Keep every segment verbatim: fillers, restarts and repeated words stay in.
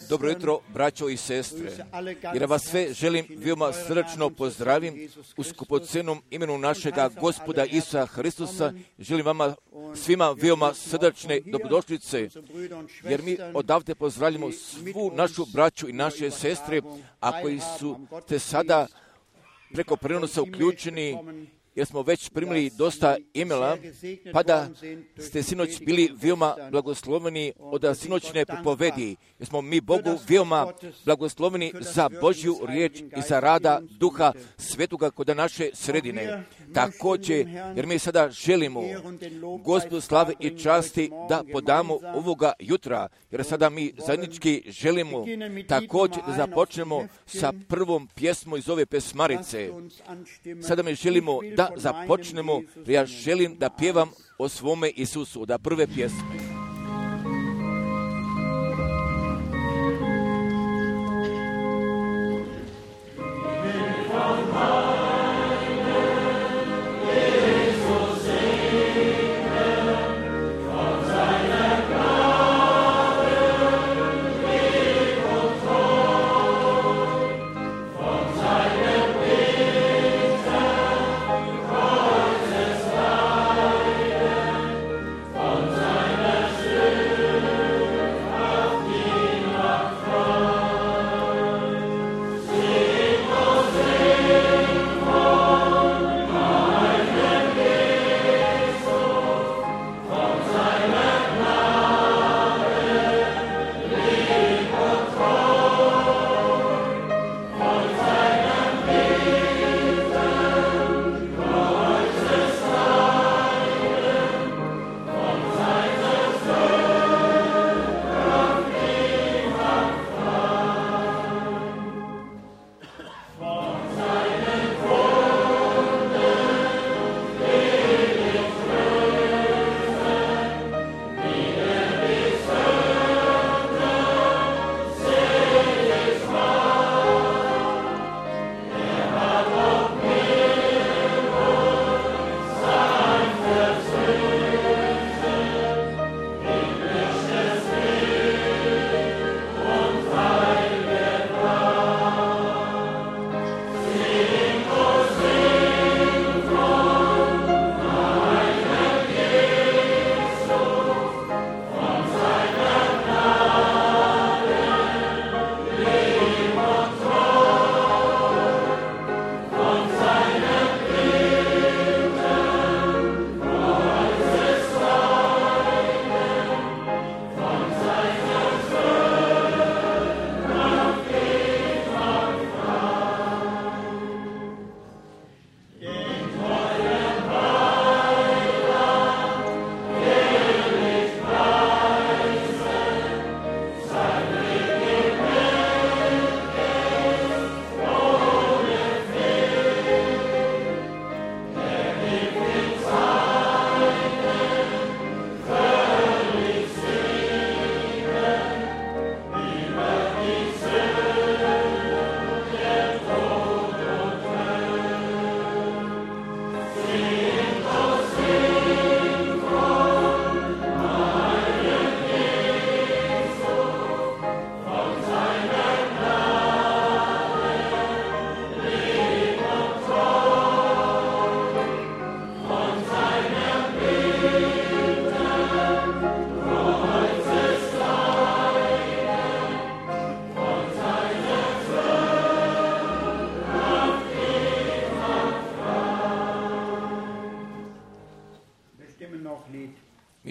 Dobro jutro, braćo i sestre. Jer vas sve želim veoma srdačno pozdravim u skupocenom imenu našega Gospoda Isusa Hristusa. Želim vama svima veoma srdačne dobrodošlice, jer mi odavde pozdravljamo svu našu braću i naše sestre, a koji su te sada preko prenosa uključeni, jer smo već primili dosta imela, pa da ste sinoć bili veoma blagosloveni od sinoćne propovedi, jer smo mi Bogu veoma blagosloveni za Božju riječ i za rada Duha Svetoga kod naše sredine. Također, jer mi sada želimo Gospodu slave i časti da podamo ovoga jutra, jer sada mi zajednički želimo također da započnemo sa prvom pjesmom iz ove pesmarice. Sada mi želimo da započnemo, jer ja želim da pjevam o svome Isusu, da prve pjesme.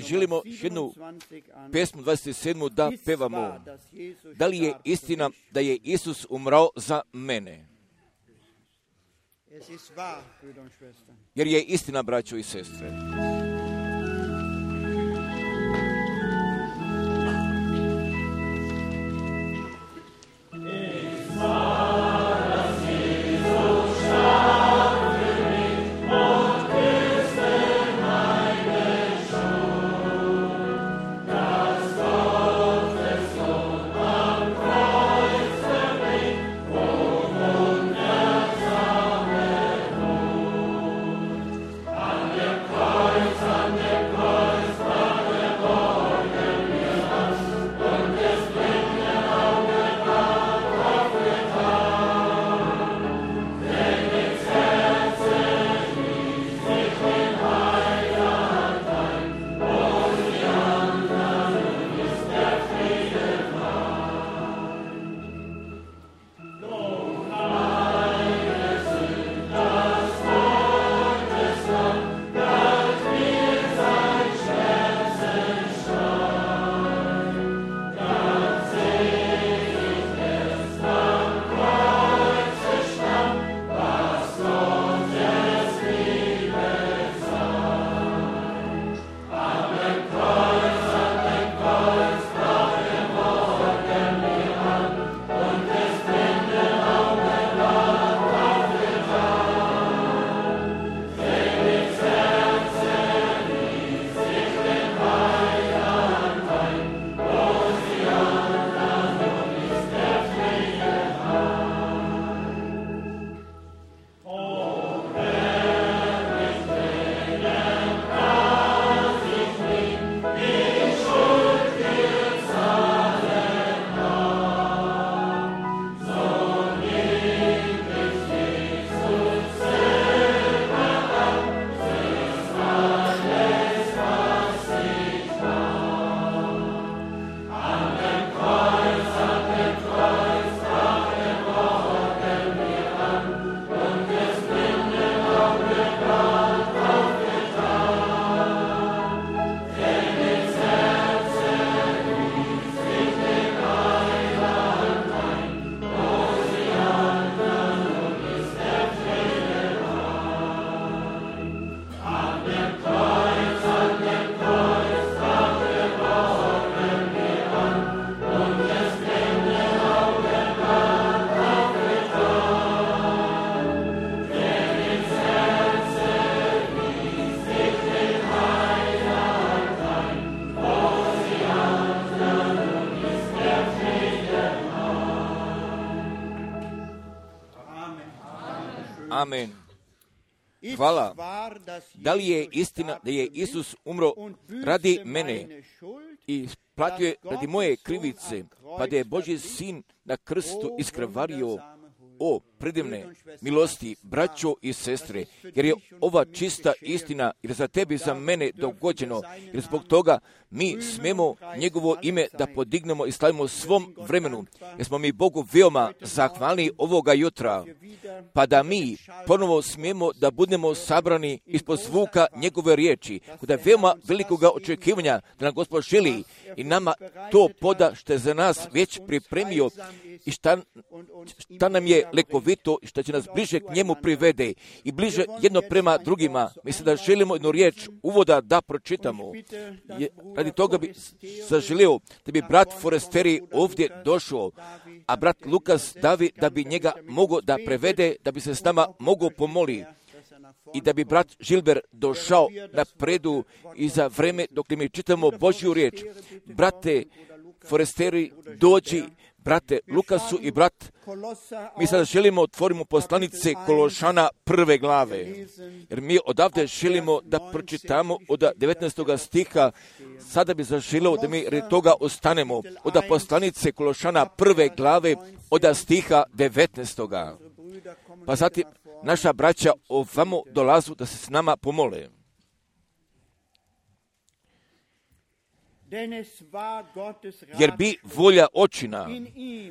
Želimo jednu pesmu dvadeset sedmu da pevamo. Da li je istina da je Isus umrao za mene? Jer je istina, braćo i sestre. An dem Kreuz Amen. Hvala. Da li je istina da je Isus umro radi mene i platio je radi moje krivice, pa da je Božji sin na krstu iskrvario? O, predivne milosti, braćo i sestre, jer je ova čista istina, jer za tebi i za mene dogođeno, jer zbog toga mi smemo njegovo ime da podignemo i slavimo svom vremenu, jer smo mi Bogu veoma zahvalni ovoga jutra, pa da mi ponovo smijemo da budemo sabrani ispod zvuka njegove riječi, kod je veoma velikoga očekivanja da nam Gospod želi i nama to poda što je za nas već pripremio i šta, šta nam je lekovito i što će nas bliže k njemu privede i bliže jedno prema drugima. Mislim da želimo jednu riječ uvoda da pročitamo. Je, radi toga bi zaželio da bi brat Foresteri ovdje došao, a brat Lukas Davi da bi njega mogao da prevede, da bi se s nama mogao pomoli i da bi brat Žilber došao na predu i za vreme dok mi čitamo Božju riječ. Brate Foresteri, dođi, brate Lukasu i brat, mi sada želimo otvorimo poslanice Kološana prve glave, jer mi odavde želimo da pročitamo od devetnaestog stiha, sada bi zaželio da mi radi toga ostanemo od poslanice Kološana prve glave od stiha devetnaestog. Pa zatim naša braća ovamo dolazu da se s nama pomole. Jer bi volja očina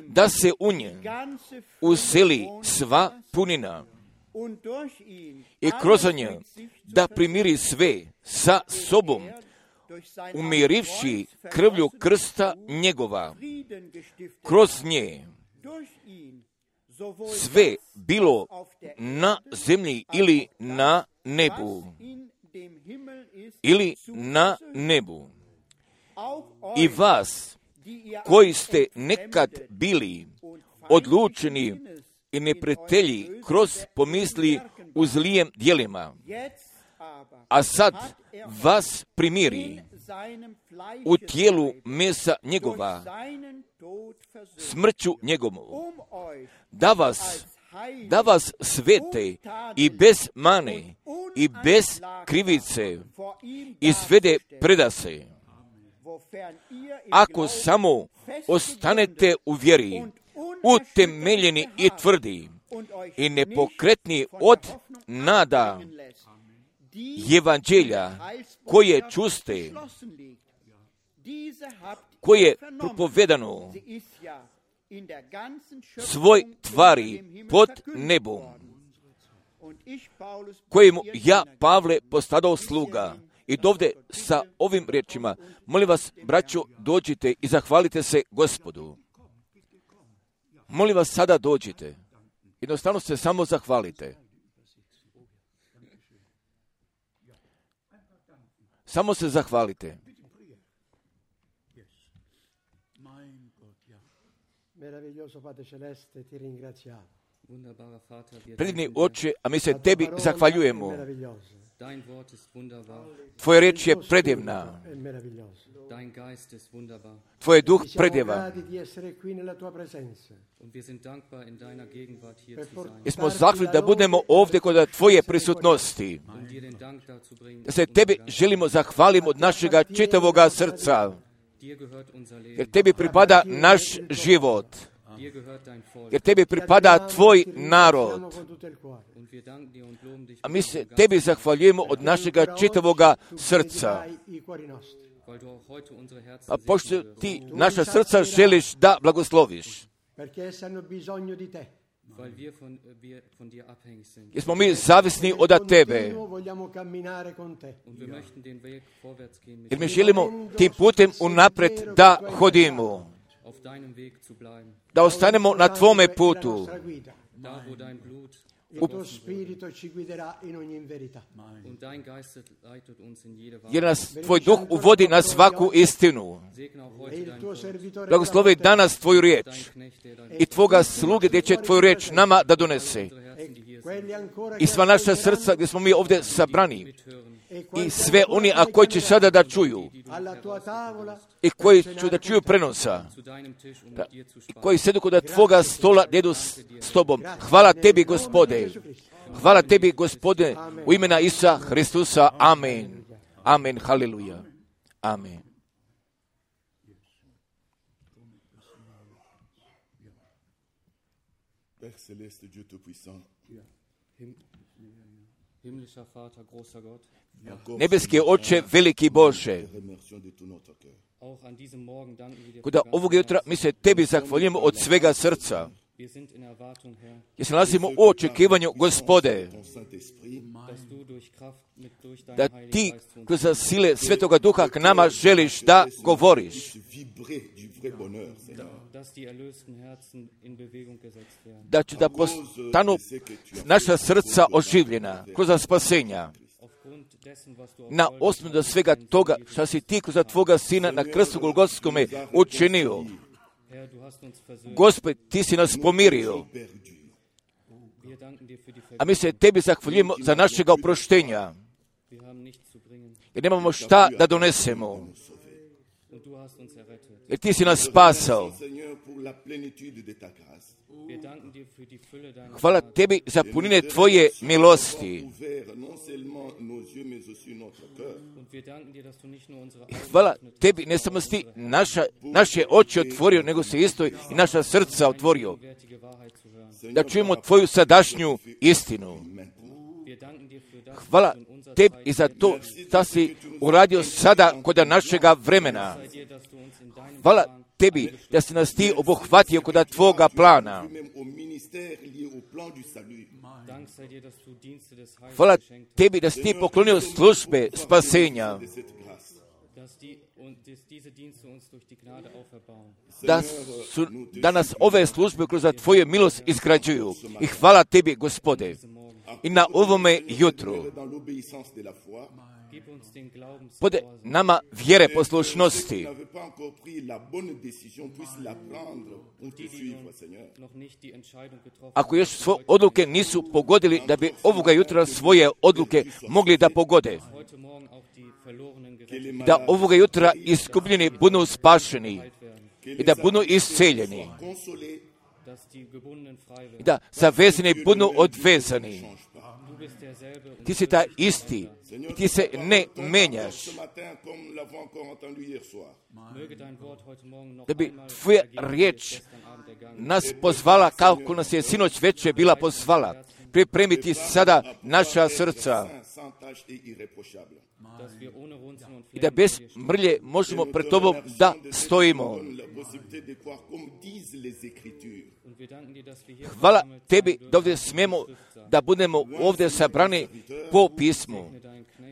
da se u nje useli sva punina i kroz nje da primiri sve sa sobom, umirivši krvlju krsta njegova, kroz nje sve bilo na zemlji ili na nebu, ili na nebu. I vas, koji ste nekad bili odlučeni i neprijatelji kroz pomisli u zlijem djelima, a sad vas primiri u tijelu mesa njegova, smrću njegovu, da vas, da vas svete i bez mane i bez krivice izvede predase. Ako samo ostanete u vjeri, utemeljeni i tvrdi i nepokretni od nada evanđelja koje čuste, koje je propovedano svoj tvari pod nebom, kojemu ja, Pavle, postadao sluga. I dovde sa ovim riječima, molim vas, braćo, dođite i zahvalite se Gospodu. Molim vas, sada dođite. Jednostavno se samo zahvalite. Samo se zahvalite. Predivni Oče, a mi se tebi zahvaljujemo. Tvoja riječ je predivna. Tvoj duh predivan. I smo zahvalni da budemo ovdje kod tvoje prisutnosti. Da se tebi želimo zahvaliti od našega čitavoga srca. Jer tebi pripada naš život. Jer tebi pripada tvoj narod. A mi se tebi zahvaljujemo od našega čitavoga srca. A pošto ti naša srca želiš da blagosloviš. Jer smo mi zavisni od tebe. Jer mi želimo tim putem unaprijed da hodimo. Da ostanemo na tvome putu. U... Jer nas tvoj duh uvodi na svaku istinu. Blagoslovi danas tvoju riječ i tvoga sluge gdje će tvoju riječ nama da donese. I sva naša srca gdje smo mi ovdje sabrani. I sve oni a koji će sada da čuju i koji će da čuju prenosa da, i koji sedu kod tvoga stola da jedu s, s tobom. Hvala tebi, Gospode. Hvala tebi, Gospodine, u imena Isusa Hristusa. Amen. Amen. Haleluja. Amen. Nebeski Oče, veliki Bože, kuda ovog jutra mi se tebi zahvaljujemo od svega srca. Jer se nalazimo u očekivanju, Gospode, da ti kroz sile Svetoga Duha k nama želiš da govoriš. Da će da postanu naša srca oživljena kroz spasenja. Na osnovu da svega toga što si ti kroz tvoga Sina na krstu Golgotskome učinio. Gospod, ti si nas pomirio. A mi se tebi zahvaljujemo za našega oproštenja. Jer nemamo šta da donesemo. Jer ti si nas spasao. Hvala tebi za punine tvoje milosti. Hvala tebi, ne samo si naša, naše oči otvorio, nego se isto i naša srca otvorio. Da čujemo tvoju sadašnju istinu. Hvala tebi i za to što si uradio sada kod našega vremena. Hvala tebi da si nas ti obuhvatio kod tvoga plana. Hvala tebi da si ti poklonio službe spasenja. Da, su, da nas ove službe kroz tvoju milost izgrađuju. I hvala tebi, Gospode. I na ovome jutru pode nama vjere poslušnosti. Ako još svoje odluke nisu pogodili, da bi ovoga jutra svoje odluke mogli da pogode. Da ovoga jutra iskupljeni budu spašeni i da budu isceljeni. I da zavezani budu odvezani. Ti si ta isti i ti se ne menjaš. Da bi tvoja riječ nas pozvala kako nas je sinoć večer bila pozvala. Pripremiti sada naša srca. I da bez mrlje možemo pred tobom da stojimo. Hvala tebi da ovdje smijemo da budemo ovdje sabrani po pismu.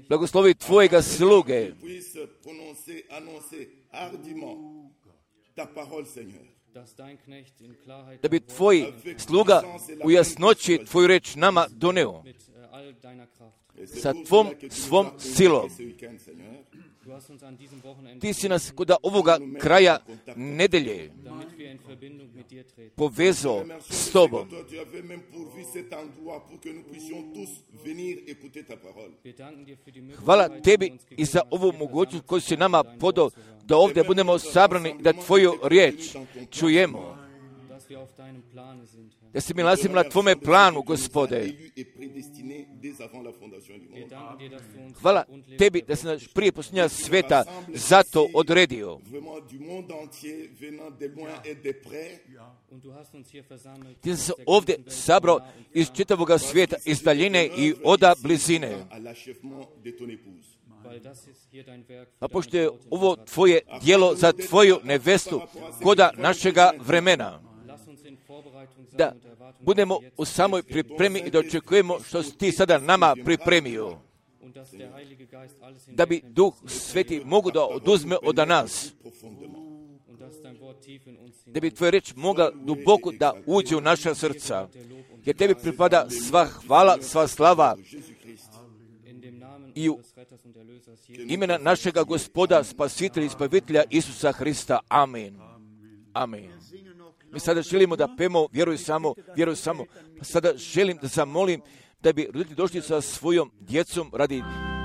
Blagoslovi tvojega sluge. Da bi tvoj sluga u jasnoći tvoju reč nama doneo. Sa tvom svom silom. Ti si nas kod ovoga kraja nedelje povezao s tobom. Hvala tebi i za ovu mogućnost koju si nama podao da ovdje budemo sabrani da tvoju riječ čujemo. Da se mi nalazim na tvome planu, Gospode. Hvala tebi da si nas prije posljednja sveta zato odredio. Ti si se ovdje sabrao iz čitavoga svijeta, iz daljine i oda blizine. A pošto je ovo tvoje djelo za tvoju nevestu koda našega vremena, da budemo u samoj pripremi i da očekujemo što si ti sada nama pripremio. Da bi Duh Sveti mogu da oduzme od nas. Da bi tvoja reč mogla duboko da uđe u naša srca. Jer tebi pripada sva hvala, sva slava i u imena našega Gospoda, Spasitelja i Izbavitelja Isusa Hrista. Amen. Amen. Mi sada želimo da pemo, vjeruj samo, vjeruj samo. Pa sada želim da zamolim da bi roditelji došli sa svojom djecom radi Amen.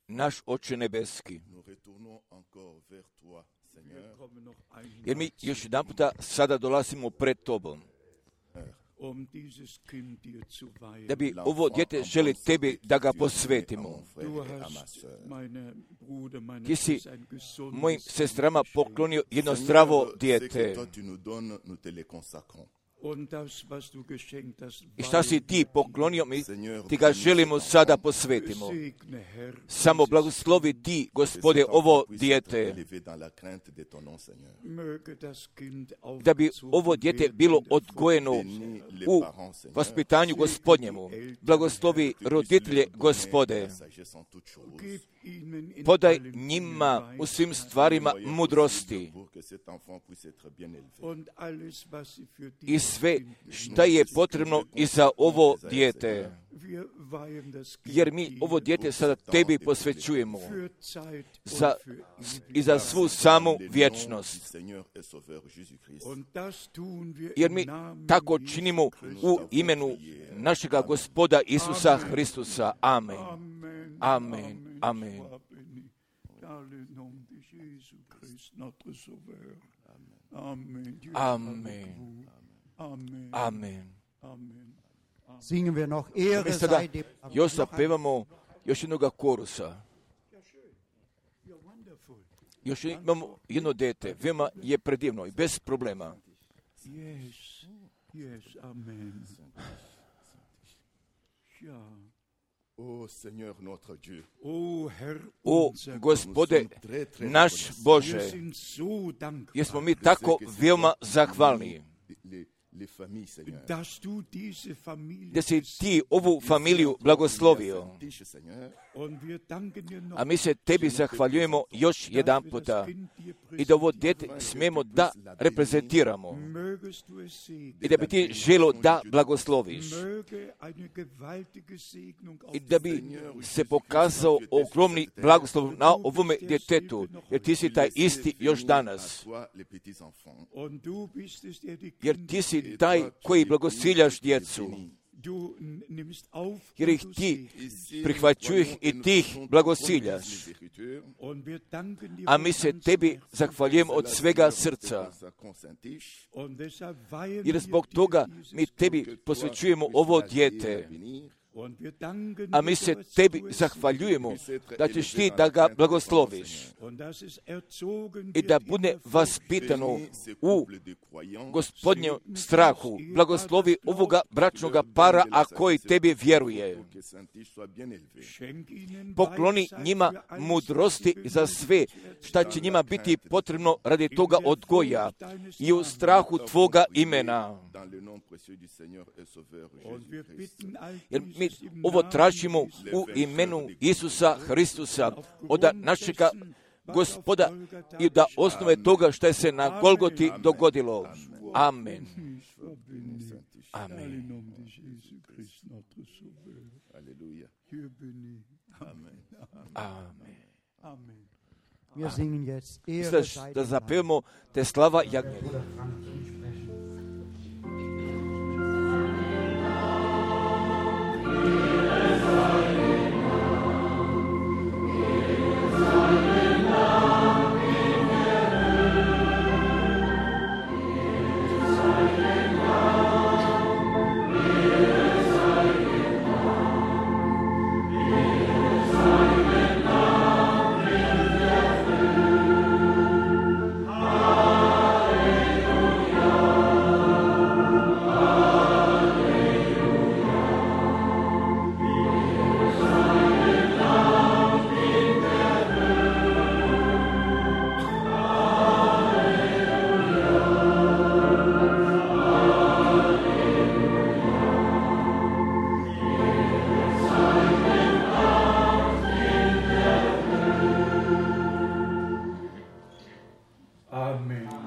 Naš Oče nebeski, jer mi još jedan puta sada dolazimo pred Tobom, da bi ovo dijete želi Tebi da ga posvetimo. Ti si mojim sestrama poklonio jedno zdravo dijete. I šta si ti poklonio mi, ti ga želimo sada posvetimo. Samo blagoslovi ti, Gospode, ovo dijete, da bi ovo dijete bilo odgojeno u vaspitanju Gospodnjemu. Blagoslovi roditelje, Gospode. Podaj njima u svim stvarima mudrosti i sve šta je potrebno i za ovo dijete. Jer mi ovo dijete sada Tebi posvećujemo za, i za svu samu vječnost. Jer mi tako činimo u imenu našega Gospoda Isusa Hristusa. Amen. Amen. Amen. Amen. Amen. Singen wir noch Ehre sei dem. Još zapevamo još jednoga korusa. Još imamo jedno dete, veoma je predivno i bez problema. Yes, yes, amen. Ja. O Seigneur notre Dieu, o Gospode naš Bože, jesmo mi tako veoma zahvalni da si ti ovu familiju blagoslovio. A mi se Tebi zahvaljujemo još jedan puta i da ovo dijete smijemo da reprezentiramo i da bi ti želo da blagosloviš i da bi se pokazao ogromni blagoslov na ovome djetetu, jer ti si taj isti još danas. Jer ti si taj koji blagosiljaš djecu. Jer ih ti prihvaćuješ i ti ih blagosiljaš. A mi se Tebi zahvaljujemo od svega srca. Jer zbog toga mi Tebi posvećujemo ovo dijete. A mi se Tebi zahvaljujemo da ćeš ti da ga blagosloviš i da bude vaspitano u Gospodnjem strahu. Blagoslovi ovoga bračnoga para, a koji Tebi vjeruje. Pokloni njima mudrosti za sve šta će njima biti potrebno radi toga odgoja i u strahu Tvoga imena. Jer mi ovo tražimo u imenu Isusa Hristusa od našega Gospoda i da osnove toga što je se na Golgoti dogodilo. Amen. Amen. Amen. Wir singen jetzt Ehre Da, sei da dem zapevamo te slava jagnje.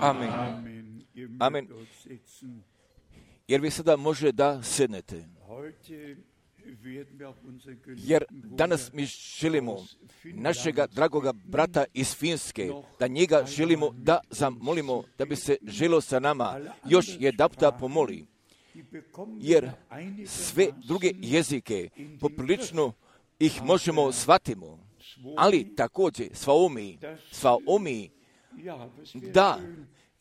Amen. Amen. Jer vi sada može da sednete. Jer danas mi želimo našega dragoga brata iz Finske, da njega želimo da zamolimo, da bi se želo sa nama još jedapta pomoli. jer sve druge jezike poprilično ih možemo shvatimo, ali također svaomi, svaomi, da,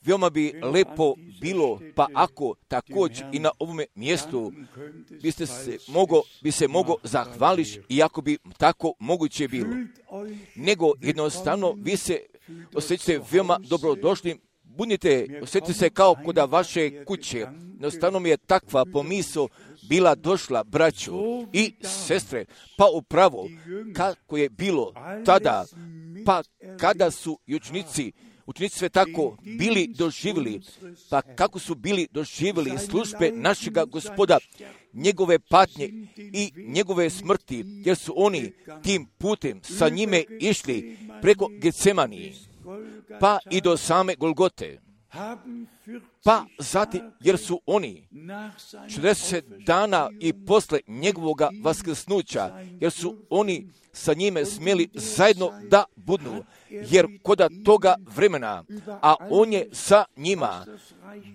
veoma bi lepo bilo, pa ako također i na ovome mjestu biste se mogo, bi se mogo zahvališ, iako bi tako moguće bilo. Nego jednostavno vi se osjećate veoma dobrodošlim, budite, osjetite se kao kod vaše kuće. Jednostavno mi je takva pomisao bila došla, braćo i sestre, pa upravo kako je bilo tada, pa kada su i učenici, učenici sve tako bili doživjeli, pa kako su bili doživjeli službe našega Gospoda, njegove patnje i njegove smrti, jer su oni tim putem sa njime išli preko Getsemanije, pa i do same Golgote. Pa zatim, jer su oni četrdeset dana i posle njegovoga vaskrsnuća, jer su oni sa njime smjeli zajedno da budnu, jer koda toga vremena, a on je sa njima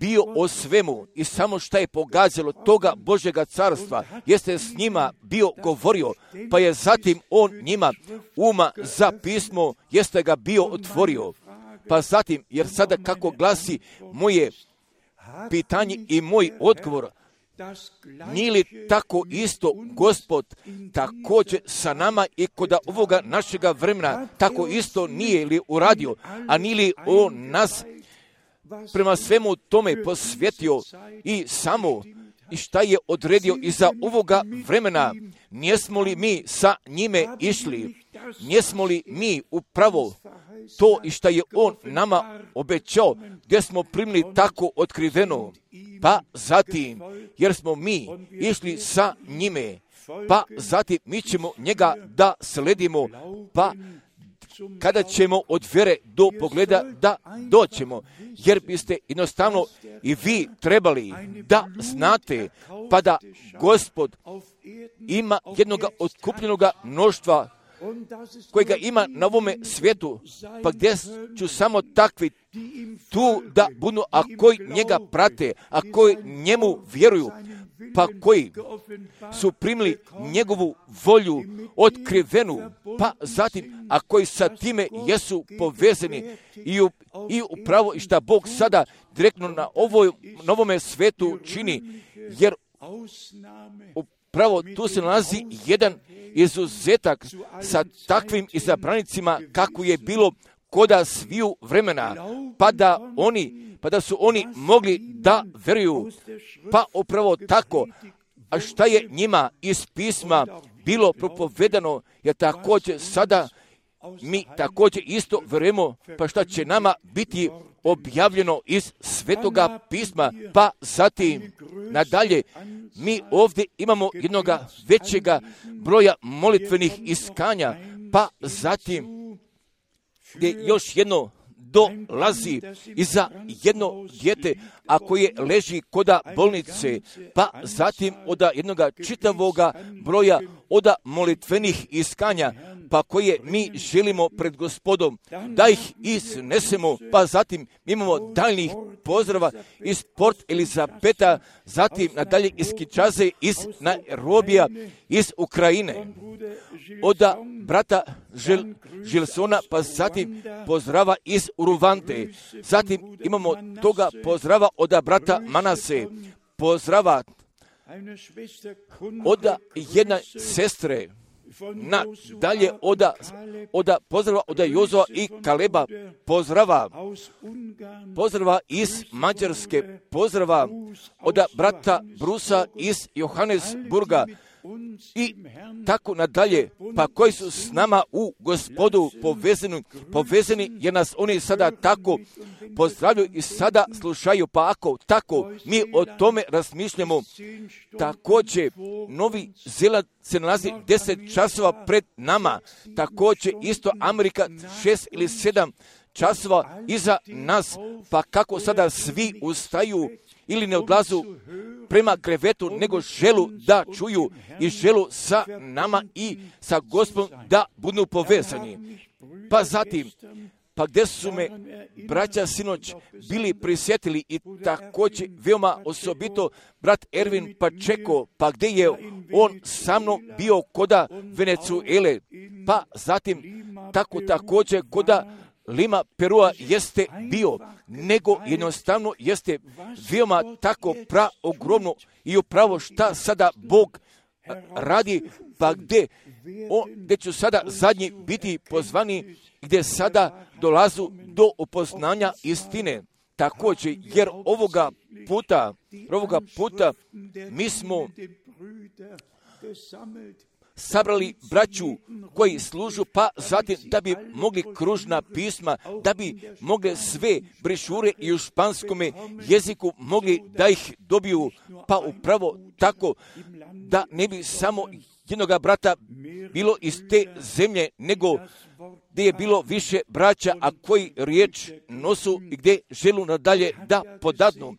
bio o svemu i samo šta je pogađalo toga Božjega carstva, jeste s njima bio govorio, pa je zatim on njima uma za pismo, jeste ga bio otvorio. Pa zatim, jer sada kako glasi moje pitanje i moj odgovor, nije li tako isto Gospod također sa nama i kod ovoga našega vremena, tako isto nije li uradio, a nije li on nas prema svemu tome posvetio i samo i šta je odredio iza ovoga vremena, nijesmo li mi sa njime išli, nijesmo li mi upravo to i šta je on nama obećao, gdje smo primili tako otkriveno, pa zatim, jer smo mi išli sa njime, pa zatim mi ćemo njega da sledimo, pa kada ćemo od vjere do pogleda da doćemo, jer biste jednostavno i vi trebali da znate, pa da Gospod ima jednoga otkupljenoga mnoštva kojega ima na ovome svijetu, pa gdje ću samo takvi tu da budu, a koji njega prate, a koji njemu vjeruju, pa koji su primili njegovu volju otkrivenu, pa zatim, a koji sa time jesu povezani i, u, i upravo i šta Bog sada direktno na, ovoj, na ovome svijetu čini, jer upravo tu se nalazi jedan izuzetak sa takvim izabranicima kako je bilo koda sviju vremena, pa da oni, pa da su oni mogli da veruju, pa upravo tako, a šta je njima iz pisma bilo propovedano, je također sada mi također isto verujemo, pa šta će nama biti objavljeno iz Svetoga pisma, pa zatim nadalje mi ovdje imamo jednoga većega broja molitvenih iskanja, pa zatim gdje još jedno dolazi i za jedno dijete, a koje leži koda bolnice, pa zatim od jednoga čitavoga broja od molitvenih iskanja, pa koje mi želimo pred Gospodom da ih iznesemo, pa zatim imamo daljnjih pozdrava iz Port Elizabeta, zatim nadalje iz Kinshase, iz Nairobija, iz Ukrajine, od brata Žil, Žilsona, pa zatim pozdrava iz Uruvante, zatim imamo toga pozdrava od brata Manase, pozdrava od jedne sestre, na dalje oda, oda pozdrava od Jozua i Kaleba, pozdrava, pozdrava iz Mađarske, pozdrava od brata Brusa iz Johannesburga i tako nadalje, pa koji su s nama u Gospodu povezani, povezani jer nas oni sada tako pozdravljaju i sada slušaju, pa ako tako mi o tome razmišljamo, također Novi Zeland se nalazi deset časova pred nama, također isto Amerika šest ili sedam časova iza nas, pa kako sada svi ustaju ili ne odlazu prema krevetu, nego želu da čuju i želu sa nama i sa Gospodom da budu povezani. Pa zatim, pa gdje su me braća sinoć bili prisjetili i također veoma osobito brat Ervin Pačeko, pa gdje je on sa mnom bio koda Venezuele, pa zatim tako također koda Lima Perua jeste bio, nego jednostavno jeste veoma tako pra ogromno i upravo šta sada Bog radi, pa gdje, o, gdje ću sada zadnji biti pozvani, gdje sada dolazu do upoznanja istine. Također, jer ovoga puta, ovoga puta mi smo sabrali braću koji služu, pa zatim da bi mogli kružna pisma, da bi mogli sve brišure i u španskome jeziku mogli da ih dobiju, pa upravo tako da ne bi samo jednoga brata bilo iz te zemlje, nego gdje je bilo više braća, a koji riječ nosu i gdje želu nadalje da podadnu.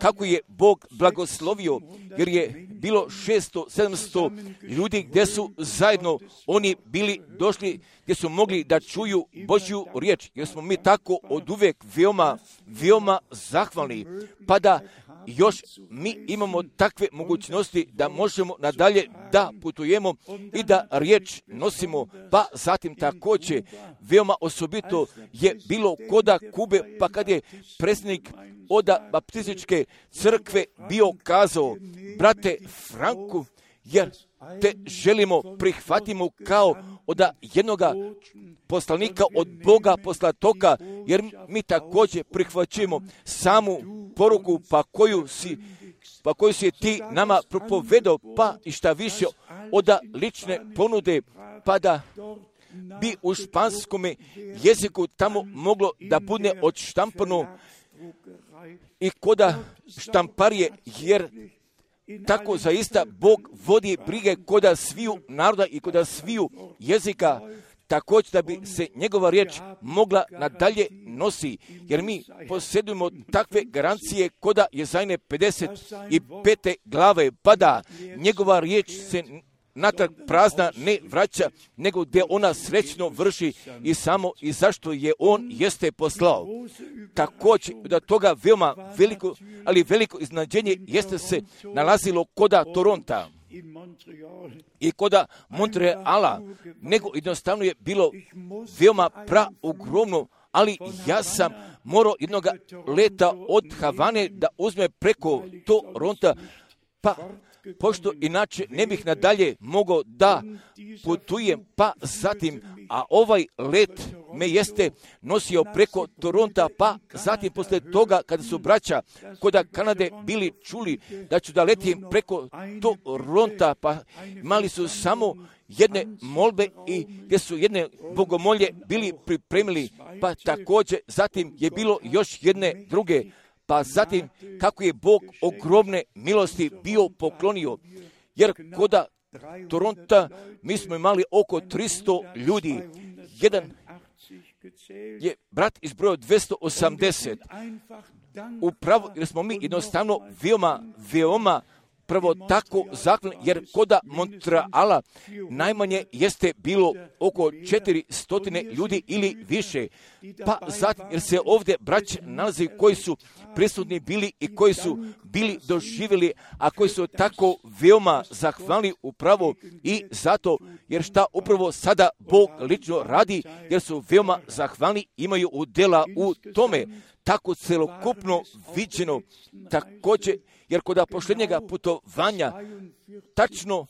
Kako je Bog blagoslovio, jer je bilo šesto sedamsto ljudi gdje su zajedno oni bili došli, gdje su mogli da čuju Božju riječ, jer smo mi tako oduvijek veoma, veoma zahvalni, pa da još mi imamo takve mogućnosti da možemo nadalje da putujemo i da riječ nosimo, pa zatim također veoma osobito je bilo koda Kube, pa kad je predsjednik oda baptističke crkve bio kazao, brate Franku, jer te želimo, prihvatimo kao od jednoga poslanika od Boga poslatoka, jer mi također prihvaćamo samu poruku pa koju si, pa koju si ti nama propovedao, pa i šta više od lične ponude, pa da bi u španskom jeziku tamo moglo da bude odštampano i koda štamparije, jer tako zaista Bog vodi brige koda sviju naroda i koda sviju jezika, također da bi se njegova riječ mogla nadalje nosi, jer mi posjedujemo takve garancije koda Jezajne pedeset pete glave, pa da njegova riječ se natrag prazna ne vraća, nego gdje ona srećno vrši i samo i zašto je on jeste poslao. Također da toga veoma veliko, ali veliko iznadženje jeste se nalazilo koda Toronta i koda Montreala, nego jednostavno je bilo veoma praogromno, ali ja sam morao jednog leta od Havane da uzme preko Toronta, pa pošto inače ne bih nadalje mogao da putujem, pa zatim, a ovaj let me jeste nosio preko Toronta, pa zatim posle toga kada su braća koda Kanade bili čuli da ću da letim preko Toronta, pa imali su samo jedne molbe i gdje su jedne bogomolje bili pripremili, pa također zatim je bilo još jedne druge, pa zatim kako je Bog ogromne milosti bio poklonio, jer koda Toronta mi smo imali oko tristo ljudi, jedan je brat izbrojao dvjesto osamdeset, upravo jer smo mi jednostavno veoma, veoma prvo tako zakon, jer koda Montreala najmanje jeste bilo oko četiristo ljudi ili više. Pa zatim, jer se ovdje braće nalazi koji su prisutni bili i koji su bili doživjeli, a koji su tako veoma zahvalni upravo i zato, jer šta upravo sada Bog lično radi, jer su veoma zahvalni, imaju udjela u tome. Tako celokupno viđeno, također, jer kod posljednjega putovanja tačno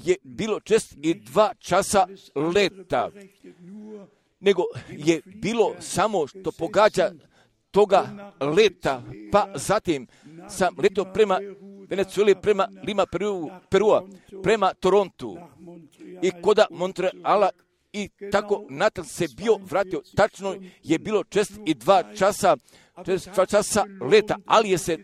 je bilo čest i dva časa leta, nego je bilo samo što pogađa toga leta, pa zatim sam letio prema Venezueli, prema Lima Perua, prema Torontu i koda Montreala i tako natrag se bio vratio. Tačno je bilo čest i dva časa, dva časa leta, ali je se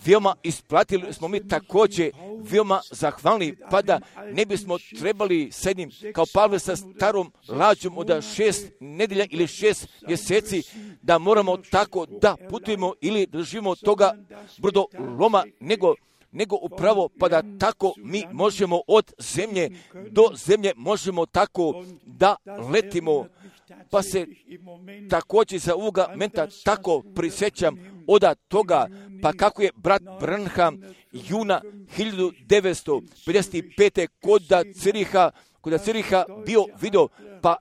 veoma isplatili, smo mi također veoma zahvalni, pa da ne bismo trebali s jednim kao Pavle sa starom lađom od šest nedelja ili šest mjeseci da moramo tako da putujemo ili držimo toga brodoloma, nego nego upravo pa da tako mi možemo od zemlje do zemlje možemo tako da letimo, Pa se također za ovoga momenta tako prisjećam od toga, pa kako je brat Branham juna hiljadu devetsto pedeset pete kod Ciriha, kod Ciriha bio video, pa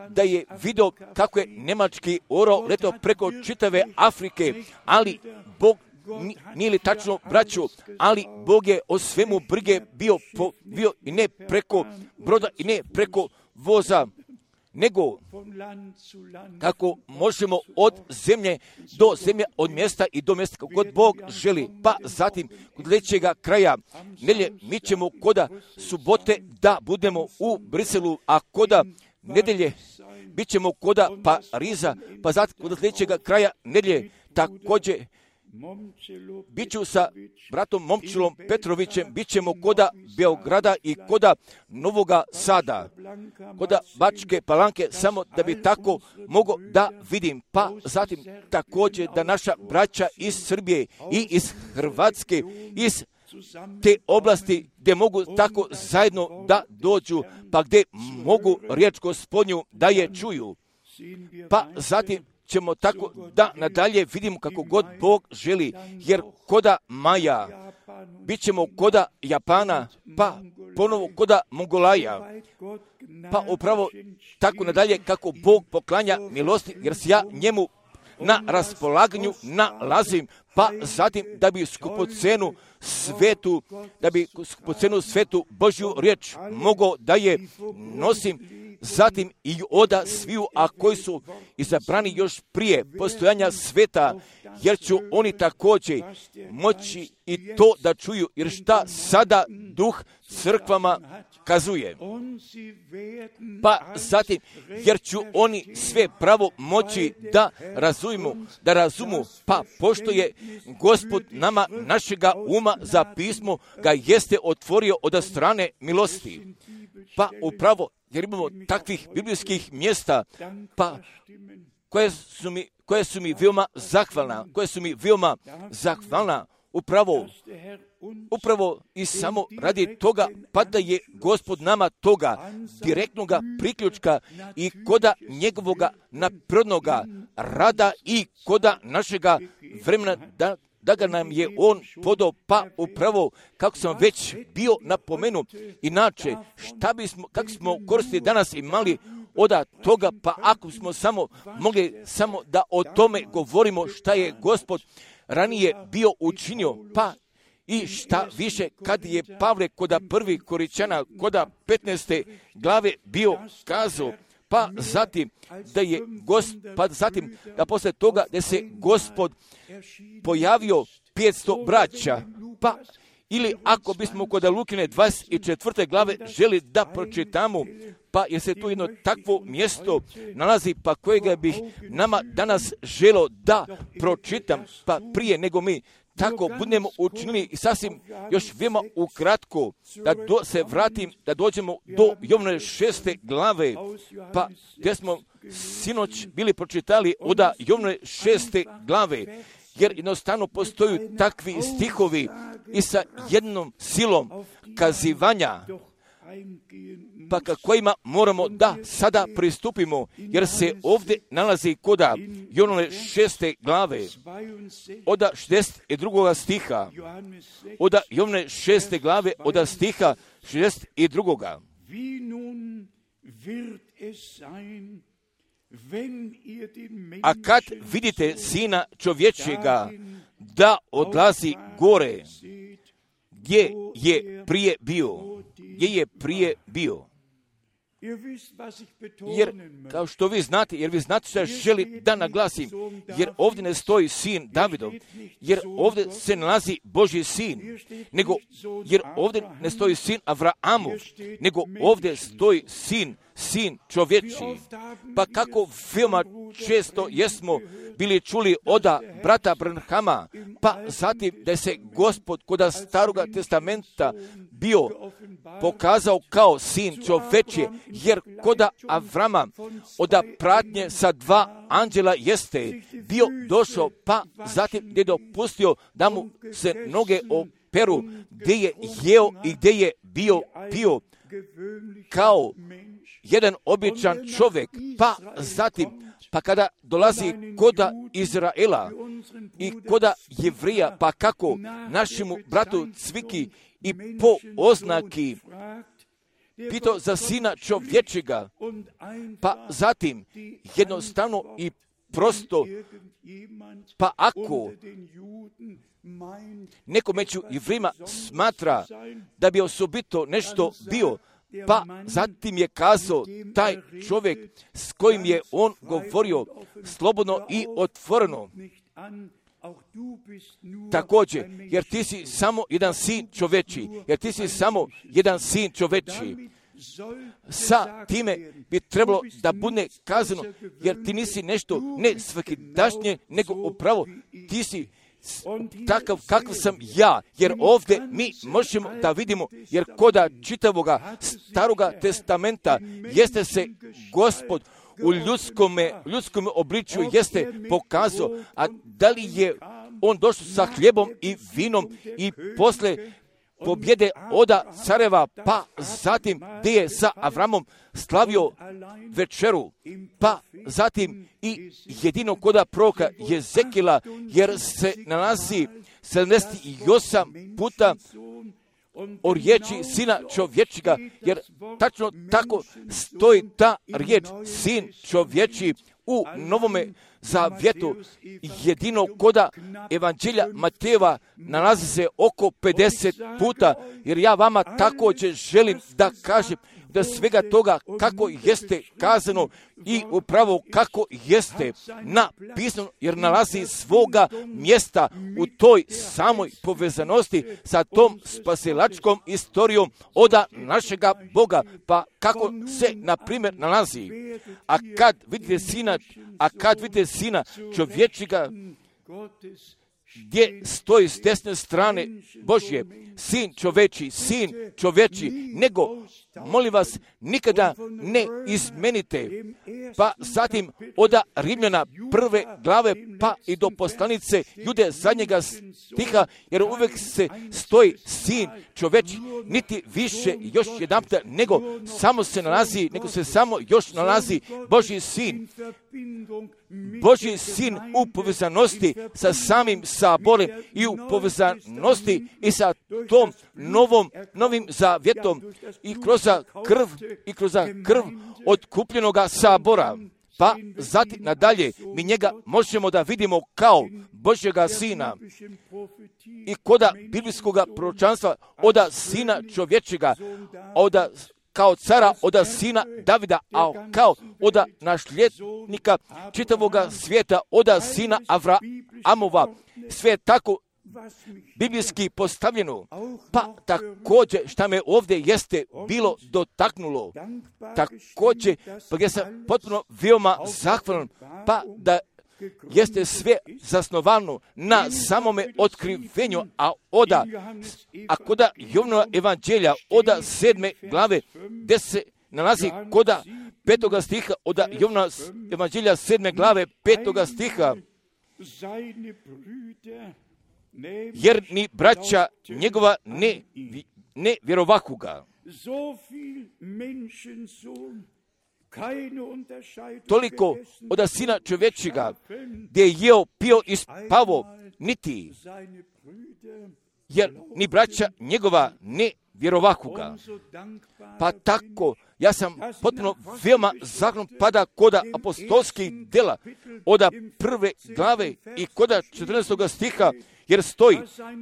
da je vidio kako je njemački orao letao preko čitave Afrike, ali Bog nije li tačno, braću, ali Bog je o svemu brige bio, po, bio i ne preko broda i ne preko voza, nego kako možemo od zemlje do zemlje, od mjesta i do mjesta kako god Bog želi. Pa zatim kod sljedećega kraja nedjelje mi ćemo koda subote da budemo u Briselu, a koda nedjelje bit ćemo koda Pariza, pa zatim kod sljedećega kraja nedjelje također bit ću sa bratom Momčilom Petrovićem, bit ćemo koda Beograda i koda Novoga Sada, koda Bačke Palanke, samo da bi tako mogo da vidim. Pa zatim također da naša braća iz Srbije i iz Hrvatske, iz te oblasti gdje mogu tako zajedno da dođu, pa gdje mogu riječ Gospodnju da je čuju. Pa zatim ćemo tako da nadalje vidimo kako god Bog želi, jer koda Maja, bit ćemo koda Japana, pa ponovo koda Mongolaja, pa upravo tako nadalje kako Bog poklanja milosti, jer se ja njemu na raspolaganju nalazim, pa zatim da bi skupocenu svetu, da bi skupocenu svetu Božju riječ mogao da je nosim, zatim i oda sviju, a koji su izabrani još prije postojanja sveta, jer ću oni također moći i to da čuju, jer šta sada duh crkvama kazuje. Pa zatim, jer ću oni sve pravo moći da razumu, da razumu, pa pošto je Gospod nama našega uma za pismo ga jeste otvorio od strane milosti. Pa upravo, jer imamo takvih biblijskih mjesta, pa koje su mi, koje su mi veoma zahvalna, koje su mi veoma zahvalna, upravo, upravo i samo radi toga, pa da je Gospod nama toga direktnoga priključka i koda njegovoga naprirodnoga rada i koda našega vremena da da ga nam je on podao, pa upravo, kako sam već bio napomenu, inače, šta bismo, kako smo koristili danas imali od toga, pa ako smo samo mogli samo da o tome govorimo šta je Gospod ranije bio učinio, pa i šta više, kad je Pavle koda prvi Koričana, koda petnaeste glave bio kazao, pa zatim da je Gos, pa zatim da posle toga da se Gospod pojavio petsto braća, pa ili ako bismo kod Lukine dvadeset četvrte glave želi da pročitamo, pa jer se tu jedno takvo mjesto nalazi, pa kojega bih nama danas želo da pročitam, pa prije nego mi tako budemo učinili i sasvim još veoma ukratko da do, se vratim, da dođemo do Jovnove šeste glave, pa gdje smo sinoć bili pročitali od Jovnove šeste glave, jer jednostavno postoju takvi stihovi i sa jednom silom kazivanja, pa ka kojima moramo da sada pristupimo, jer se ovdje nalazi koda Jovnove šeste glave, od šezdeset drugog stiha, od Jovnove šeste glave, od stiha šezdeset drugog. A kad vidite Sina čovječega da odlazi gore, gdje je prije bio, gdje je prije bio. Jer, kao što vi znate, jer vi znate što želi da naglasim, jer ovdje ne stoji sin Davidov, jer ovdje se nalazi Božji sin, nego, jer ovdje ne stoji sin Avraamov, nego ovdje stoji sin, sin čovječiji. Pa kako veoma često jesmo bili čuli od brata Branhama, pa zatim da se Gospod kod Staroga testamenta bio pokazao kao sin čovječije, jer kod Avrama od pratnje sa dva anđela jeste bio došao, pa zatim gdje je dopustio da mu se noge operu, gdje je jeo i gdje je bio pio kao jedan običan čovjek, pa zatim, pa kada dolazi koda Izraela i koda Jevrija, pa kako našemu bratu Cviki i po oznaki pitao za sina čovječega, pa zatim jednostavno i prosto, pa ako neko među Jevrima smatra da bi osobito nešto bio, pa zatim je kazao taj čovjek s kojim je on govorio slobodno i otvoreno. Također, jer ti si samo jedan sin čoveči, jer ti si samo jedan sin čoveči. Sa time bi trebalo da bude kazano, jer ti nisi nešto ne svakidašnje, nego upravo ti si takav kakav sam ja, jer ovdje mi možemo da vidimo, jer koda čitavoga staroga testamenta jeste se Gospod u ljudskome, ljudskome obličju jeste pokazao, a da li je on došao sa hljebom i vinom i posle pobjede oda careva, pa zatim gdje je sa Avramom slavio večeru, pa zatim i jedino koda proroka Jezekila, jer se nalazi sedamdeset osam puta o riječi sina čovječega, jer tačno tako stoji ta riječ sin čovječi u Novome Zavjetu. Jedino koda Evanđelja Matejeva nalazi se oko pedeset puta, jer ja vama također želim da kažem da svega toga kako jeste kazano i upravo kako jeste napisano, jer nalazi svoga mjesta u toj samoj povezanosti sa tom spasilačkom istorijom oda našega Boga. Pa kako se, na primjer, nalazi, a kad vidite sina, a kad vidite sina čovječega, gdje stoji s desne strane Božje, sin čoveči, sin čoveči, nego, molim vas, nikada ne izmenite. Pa zatim oda Rimljana prve glave, pa i do poslanice Jude zadnjega stiha, jer uvijek se stoji sin čoveči, niti više još jedanputa, nego samo se nalazi, nego se samo još nalazi Božji sin. Božji sin u povezanosti sa samim saborem i u povezanosti i sa tom novom, novim zavjetom i kroz krv i kroz krv otkupljenoga sabora. Pa zatim nadalje mi njega možemo da vidimo kao Božjega sina i koda biblijskoga proročanstva oda sina čovječega, oda kao cara oda sina Davida, a kao oda nasljednika čitavoga svijeta oda sina Avraamova. Sve je tako biblijski postavljeno. Pa također šta me ovdje jeste bilo dotaknulo, također pa gdje sam potpuno veoma zahvalan, pa da jeste sve zasnovano na samome otkrivenju, a oda, a koda Jovanova evanđelja, oda sedme glave, gdje se nalazi koda petoga stiha, oda Jovanova evanđelja sedme glave, petoga stiha, jer ni braća njegova ne, ne vjerovahuga. Toliko od sina čovječega, gdje je jeo, pio i spavo, niti, jer ni braća njegova ne vjerovahuga. Pa tako, ja sam potpuno veoma zahvalan pada koda apostolskih dela, oda prve glave i koda četrnaestog stiha, jer stoji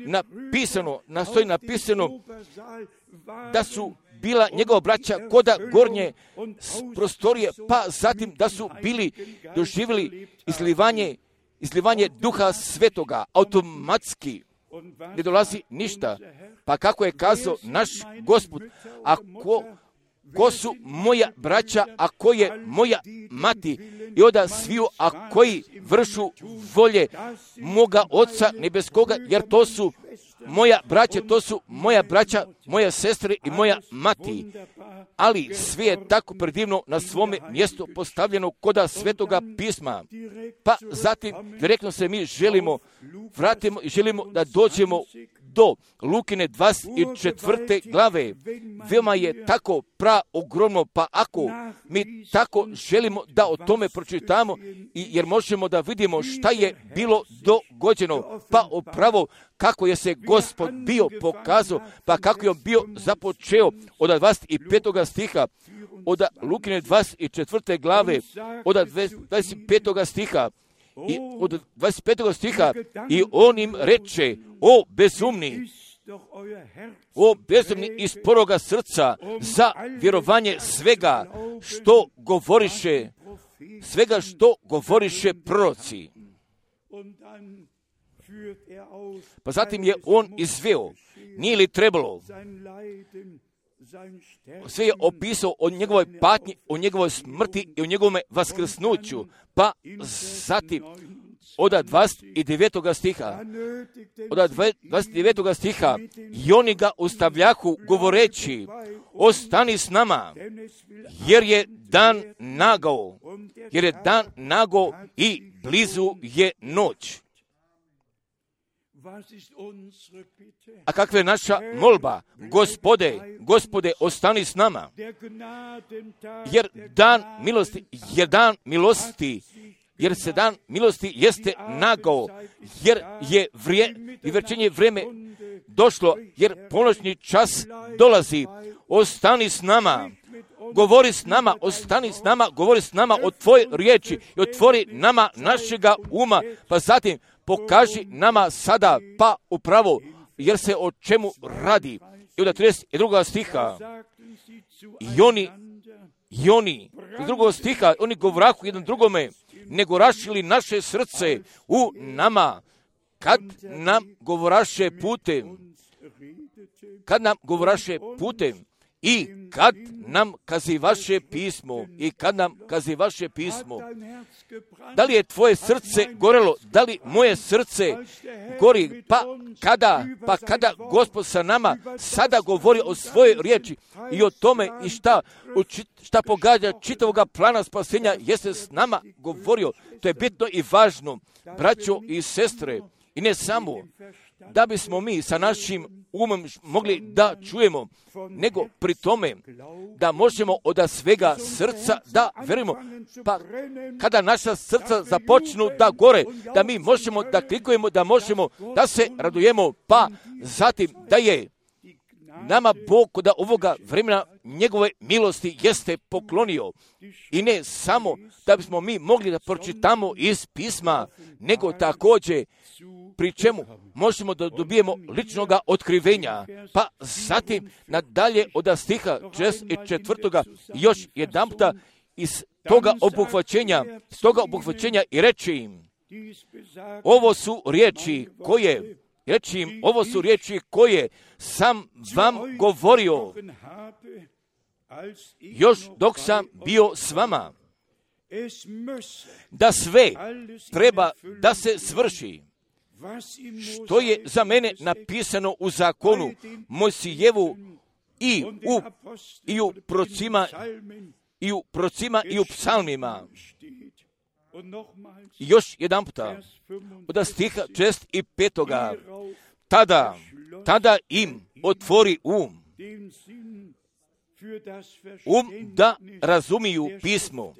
napisano, nastoji napisano da su bila njegova braća koda gornje prostorije, pa zatim da su bili doživjeli izlivanje, izlivanje duha svetoga, automatski, ne dolazi ništa. Pa kako je kazao naš Gospod, ako ko su moja braća, a ko je moja mati, i oda sviju, a koji vršu volje moga Oca nebeskoga, jer to su moja braća, to su moja braća, moja sestre i moja mati. Ali sve je tako predivno na svome mjestu postavljeno koda Svetoga pisma. Pa zatim direktno se mi želimo, vratimo i želimo da dođemo do Lukine dvadeset četvrte glave. Veoma je tako pra ogromno, pa ako mi tako želimo da o tome pročitamo, i jer možemo da vidimo šta je bilo dogođeno, pa upravo kako je se Gospod bio pokazao, pa kako je on bio započeo od dvadeset petog stiha, od Lukine dvadeset četvrte glave, od dvadeset petog stiha, i od dvadeset petog stiha, i on im reče: o bezumni, o bezumni iz poroga srca, za vjerovanje svega što govoriše, svega što govoriše proroci. Pa zatim je on izveo, nije li trebalo, sve je opisao o njegovoj patnji, o njegovoj smrti i o njegovom vaskrsnuću, pa zatim od dvadeset devetog stiha, od dvadeset devetog stiha, i oni ga ustavljahu govoreći: ostani s nama, jer je dan nagao, jer je dan nagao i blizu je noć. A kakva je naša molba? Gospode, Gospode, ostani s nama, jer dan milosti, jer dan milosti, jer se dan milosti jeste nagao, jer je vrije, i vrčenje vreme došlo, jer ponoćni čas dolazi. Ostani s nama, govori s nama, ostani s nama, govori s nama o tvojoj riječi i otvori nama našega uma, pa zatim pokaži nama sada, pa upravo, jer se o čemu radi. I od trideset drugog stiha, i oni, i oni, iz drugog stiha, oni govrahu jedan drugome, nego rašili naše srce u nama, kad nam govoraše putem, kad nam govoraše putem, i kad nam kazivaše pismo, i kad nam kazivaše pismo. Da li je tvoje srce gorelo? Da li moje srce gori? Pa kada, pa kada Gospod sa nama sada govori o svojoj riječi i o tome i šta, šta pogađa čitavoga plana spasenja, jeste s nama govorio. To je bitno i važno, braćo i sestre, i ne samo da bismo mi sa našim umom mogli da čujemo, nego pri tome da možemo od svega srca da verujemo. Pa kada naša srca započnu da gore, da mi možemo da klikujemo, da možemo da se radujemo, pa zatim da je nama Bog kod ovoga vremena njegove milosti jeste poklonio. I ne samo da bismo mi mogli da pročitamo iz pisma, nego također pri čemu možemo da dobijemo ličnoga otkrivenja. Pa zatim nadalje od stiha četrdeset četvrtoga još jedan puta iz toga obuhvaćenja, iz toga obuhvaćenja i reći im: ovo su riječi koje, reći im, ovo su riječi koje sam vam govorio još dok sam bio s vama, da sve treba da se svrši što je za mene napisano u zakonu Mojsijevu i u, i u procima i u procima i u psalmima. I još jedan puta od stiha četrdeset petoga, tada, tada im otvori um, um da razumiju pismo.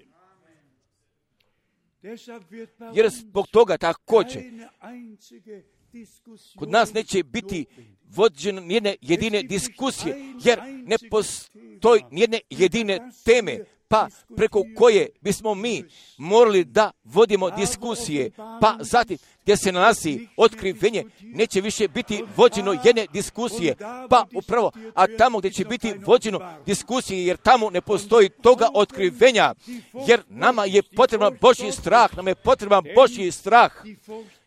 Jer zbog toga također kod nas neće biti vođene nijedne jedine diskusije, jer ne postoji nijedne jedine teme, pa preko koje bismo mi morali da vodimo diskusije, pa zatim gdje se nalazi otkrivenje, neće više biti vođeno jedne diskusije, pa upravo, a tamo gdje će biti vođeno diskusije, jer tamo ne postoji toga otkrivenja, jer nama je potreban Božji strah, nam je potreban Božji strah,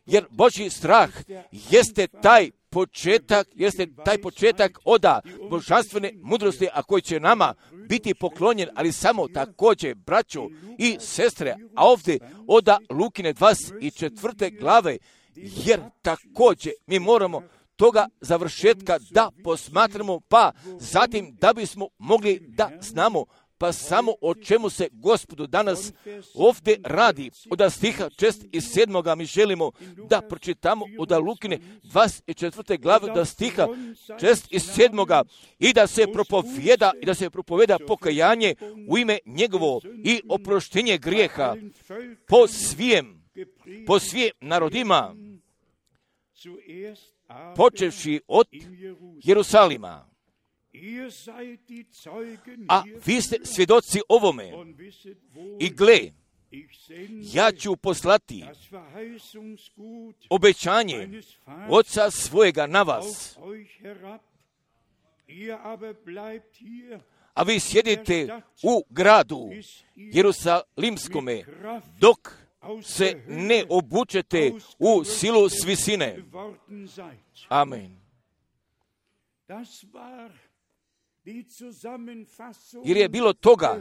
jer Božji strah jeste taj početak, jeste taj početak oda božanstvene mudrosti, a koji će nama biti poklonjen, ali samo također, braćo i sestre, a ovdje oda Lukine dvadeset četvrte glave, jer također mi moramo toga završetka da posmatramo, pa zatim da bismo mogli da znamo pa samo o čemu se Gospodu danas ovdje radi. Od stiha šest i sedmoga mi želimo da pročitamo od Lukine dvadeset četvrte glave od stiha šest i sedmoga i da se propovjeda i da se propovjeda pokajanje u ime njegovo i oproštenje grijeha po svijem, po svijem narodima, počevši od Jerusalima. A vi ste svjedoci ovome. I gle, ja ću poslati obećanje Oca svojega na vas. A vi sjedite u gradu Jerusalimskome dok se ne obučete u silu s visine. Amen. Jer je bilo toga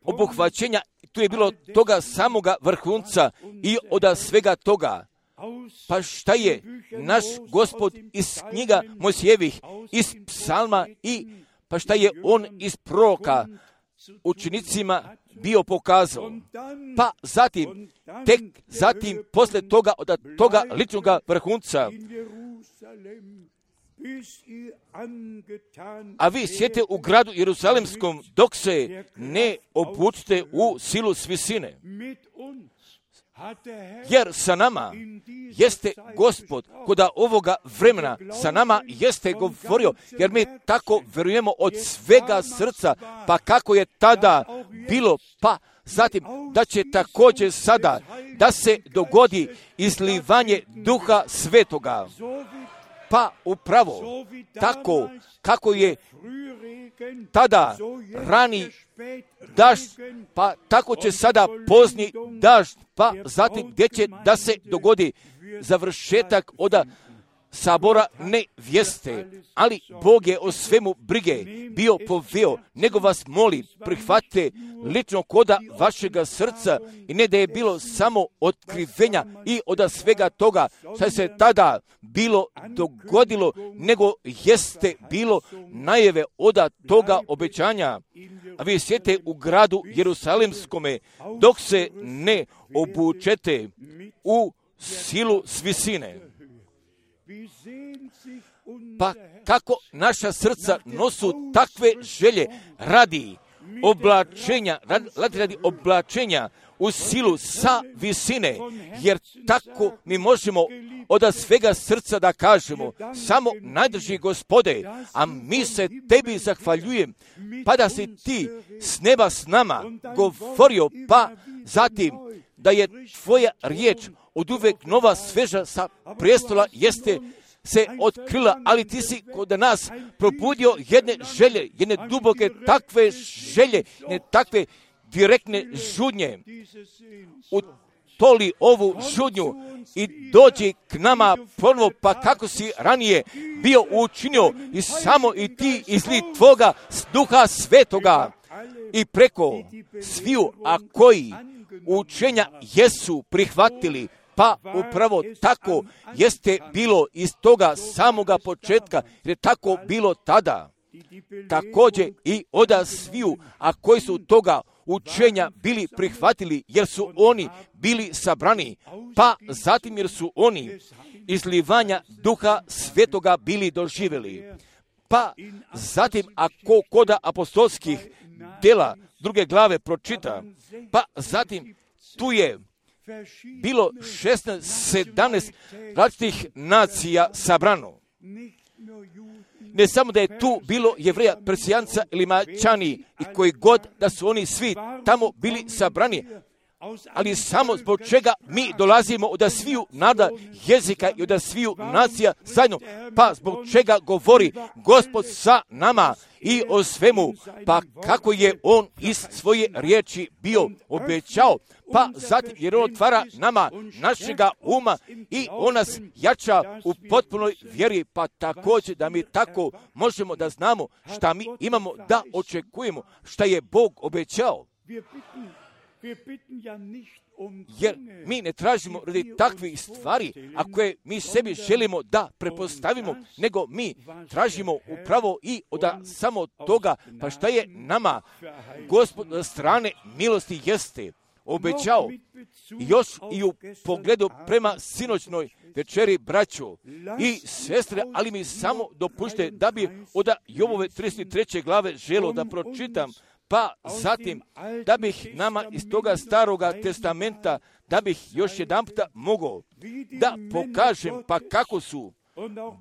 obuhvaćenja, tu je bilo toga samoga vrhunca i od svega toga. Pa šta je naš Gospod iz knjiga Mojsijevih, iz psalma i pa šta je on iz proroka učenicima bio pokazao. Pa zatim, tek zatim, posle toga, od toga ličnoga vrhunca, a vi sjete u gradu Jerusalimskom dok se ne obučite u silu s visine. Jer sa nama jeste Gospod koda ovoga vremena, sa nama jeste govorio, jer mi tako verujemo od svega srca, pa kako je tada bilo, pa zatim da će također sada da se dogodi izlivanje Duha Svetoga. Pa upravo tako kako je tada rani dažd, pa tako će sada pozni dažd, pa zatim gdje će da se dogodi završetak od sabora nevjeste. Ali Bog je o svemu brige bio poveo, nego vas moli, prihvatite lično koda vašega srca i ne da je bilo samo otkrivenja i od svega toga što se tada bilo dogodilo, nego jeste bilo najave od toga obećanja. A vi sjete u gradu Jerusalimskome dok se ne obučete u silu s visine. Pa kako naša srca nosu takve želje radi oblačenja, radi, radi oblačenja u silu sa visine, jer tako mi možemo od svega srca da kažemo, samo najdrži Gospode, a mi se tebi zahvaljujem, pa da si ti s neba s nama govorio, pa zatim da je tvoja riječ od uvek nova, sveža sa prijestola jeste se otkrila, ali ti si kod nas probudio jedne želje, jedne duboke takve želje, ne takve direktne žudnje. Utoli ovu žudnju i dođi k nama ponovo, pa kako si ranije bio učinio i samo i ti izli tvoga Duha Svetoga i preko sviju, a koji učenja jesu prihvatili, pa upravo tako jeste bilo iz toga samoga početka, jer je tako bilo tada. Također i od sviju, a koji su toga učenja bili prihvatili, jer su oni bili sabrani, pa zatim jer su oni izlivanja Duha Svetoga bili doživjeli. Pa zatim, ako koda apostolskih dela druge glave pročita, pa zatim tu je bilo šesnaest sedamnaest različitih nacija sabrano. Ne samo da je tu bilo Jevreja, Persijanca ili Mačani i koji god da su oni svi tamo bili sabrani, ali samo zbog čega mi dolazimo od sviju nada jezika i od sviju nacija zajedno, pa zbog čega govori Gospod sa nama i o svemu, pa kako je on iz svoje riječi bio obećao, pa zatim jer on otvara nama našega uma i on nas jača u potpunoj vjeri, pa također da mi tako možemo da znamo šta mi imamo da očekujemo, šta je Bog obećao. Jer mi ne tražimo radi takvih stvari, a koje mi sebi želimo da prepostavimo, nego mi tražimo upravo i od samo toga, pa šta je nama Gospod na strane milosti jeste obećao. Još i u pogledu prema sinoćnoj večeri, braćo i sestre, ali mi samo dopušte da bi od Jobove trideset treće glave želio da pročitam, pa zatim da bih nama iz toga staroga testamenta, da bih još jedan puta mogao da pokažem pa kako su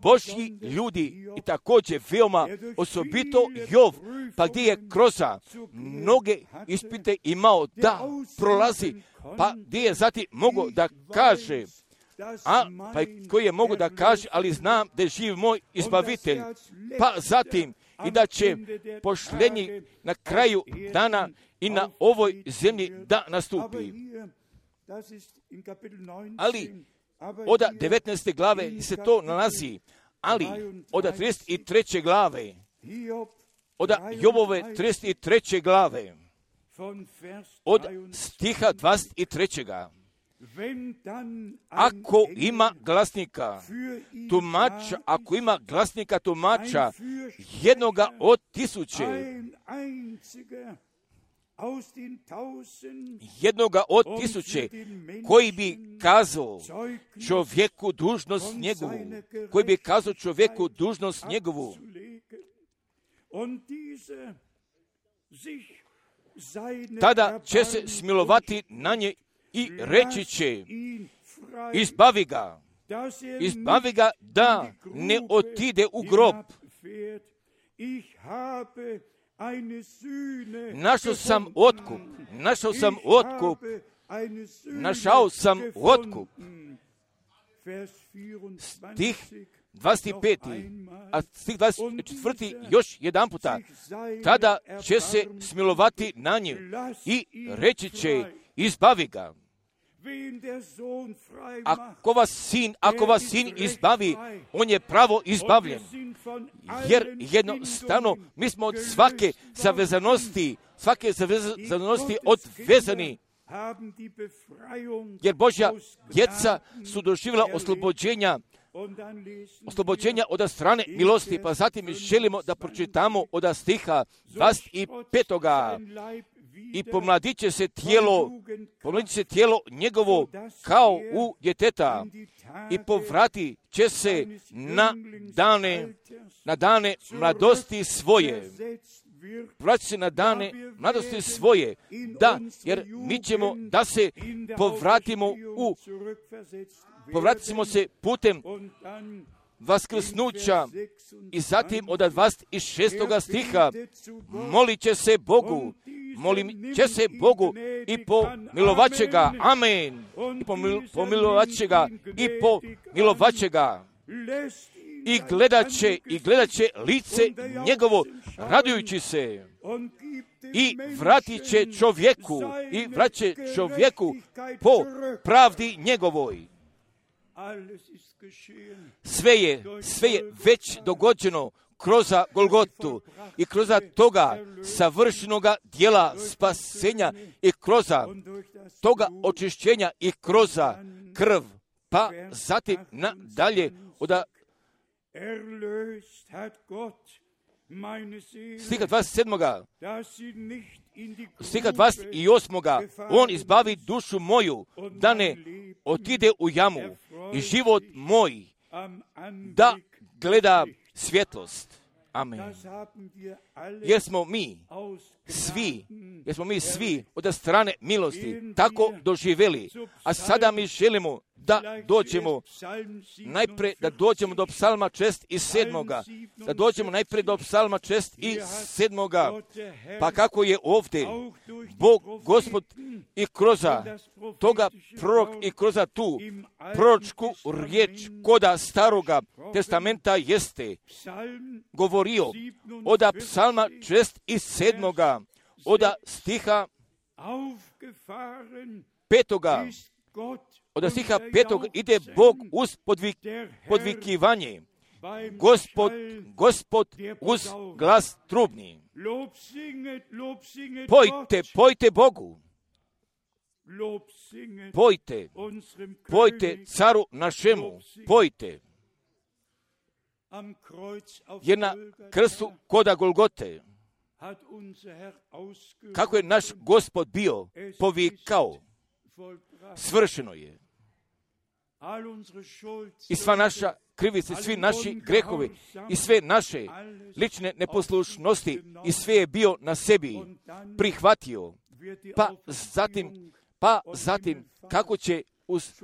Božji ljudi i također veoma osobito Jov, pa gdje je kroz mnoge ispite imao da prolazi, pa gdje je zatim mogao da kaže, a pa koji je mogu da kaže, ali znam da je živ moj izbavitelj, pa zatim i da će pošljenje na kraju dana i na ovoj zemlji da nastupi. Ali od devetnaeste glave se to nalazi, ali od trideset treće glave, od Jobove trideset treće glave, od stiha dvadeset trećeg Ako ima glasnika tumača, ako ima glasnika tumača jednoga od tisuće, jednoga od tisuće koji bi kazao čovjeku dužnost njegovu, koji bi kazao čovjeku dužnost njegovu, tada će se smilovati na nje i reći će, izbavi ga, izbavi ga da ne otide u grob. Našao sam otkup, našao sam otkup, našao sam otkup. Stih dvadeset pet. A stih dvadeset četvrti još jedan puta. Tada će se smilovati na nje i reći će, izbavi ga. Ako vas sin, ako vas sin izbavi, on je pravo izbavljen. Jer jednostavno mi smo od svake zavezanosti, svake zavezanosti odvezani. Jer Božja djeca su doživjela oslobođenja, oslobođenja od strane milosti. Pa zatim mi želimo da pročitamo od stiha dvadeset pet. I pomladit će se tijelo, pomladit će se tijelo njegovo kao u djeteta i povrati će se na dane, na dane mladosti svoje. Vrati se na dane mladosti svoje, da, jer mi ćemo da se povratimo u, povratit ćemo se putem vaskrsnuća i zatim od dvadeset šestog stiha molit će se Bogu, molim će se Bogu i pomilovat će ga, amen, i pomilovat će ga, i pomilovat će ga, i gledat će, i gledat će lice njegovo, radujući se, i vratit će čovjeku, i vratit će čovjeku po pravdi njegovoj. Sve je, sve je već dogođeno kroz Golgotu i kroz toga savršenoga dijela spasenja i kroz toga očišćenja i kroz krv, pa zatim nadalje od stiha dvadeset sedmog stiha dvadeset osmog on izbavi dušu moju da ne otide u jamu i život moj da gleda svjetlost. Amen. Jer smo mi svi, jer smo mi svi od strane milosti tako doživjeli, a sada mi želimo da dođemo najprije, da dođemo do psalma šest i sedmoga, da dođemo najprije do psalma šest i sedmoga, pa kako je ovdje Bog, Gospod i kroz toga prorok i kroz tu proročku riječ koda staroga testamenta jeste govorio od psalma šest i sedmoga, od stiha petoga, od stiha petog ide Bog uz podvik, podvikivanje, Gospod, Gospod uz glas trubni. Pojte, pojte Bogu. pojte, pojte caru našemu, pojte. Jer na krstu koda Golgote, kako je naš Gospod bio povikao, svršeno je. I sva naša krivice, svi naši grehovi i sve naše lične neposlušnosti i sve je bio na sebi prihvatio. Pa zatim, pa zatim kako će uz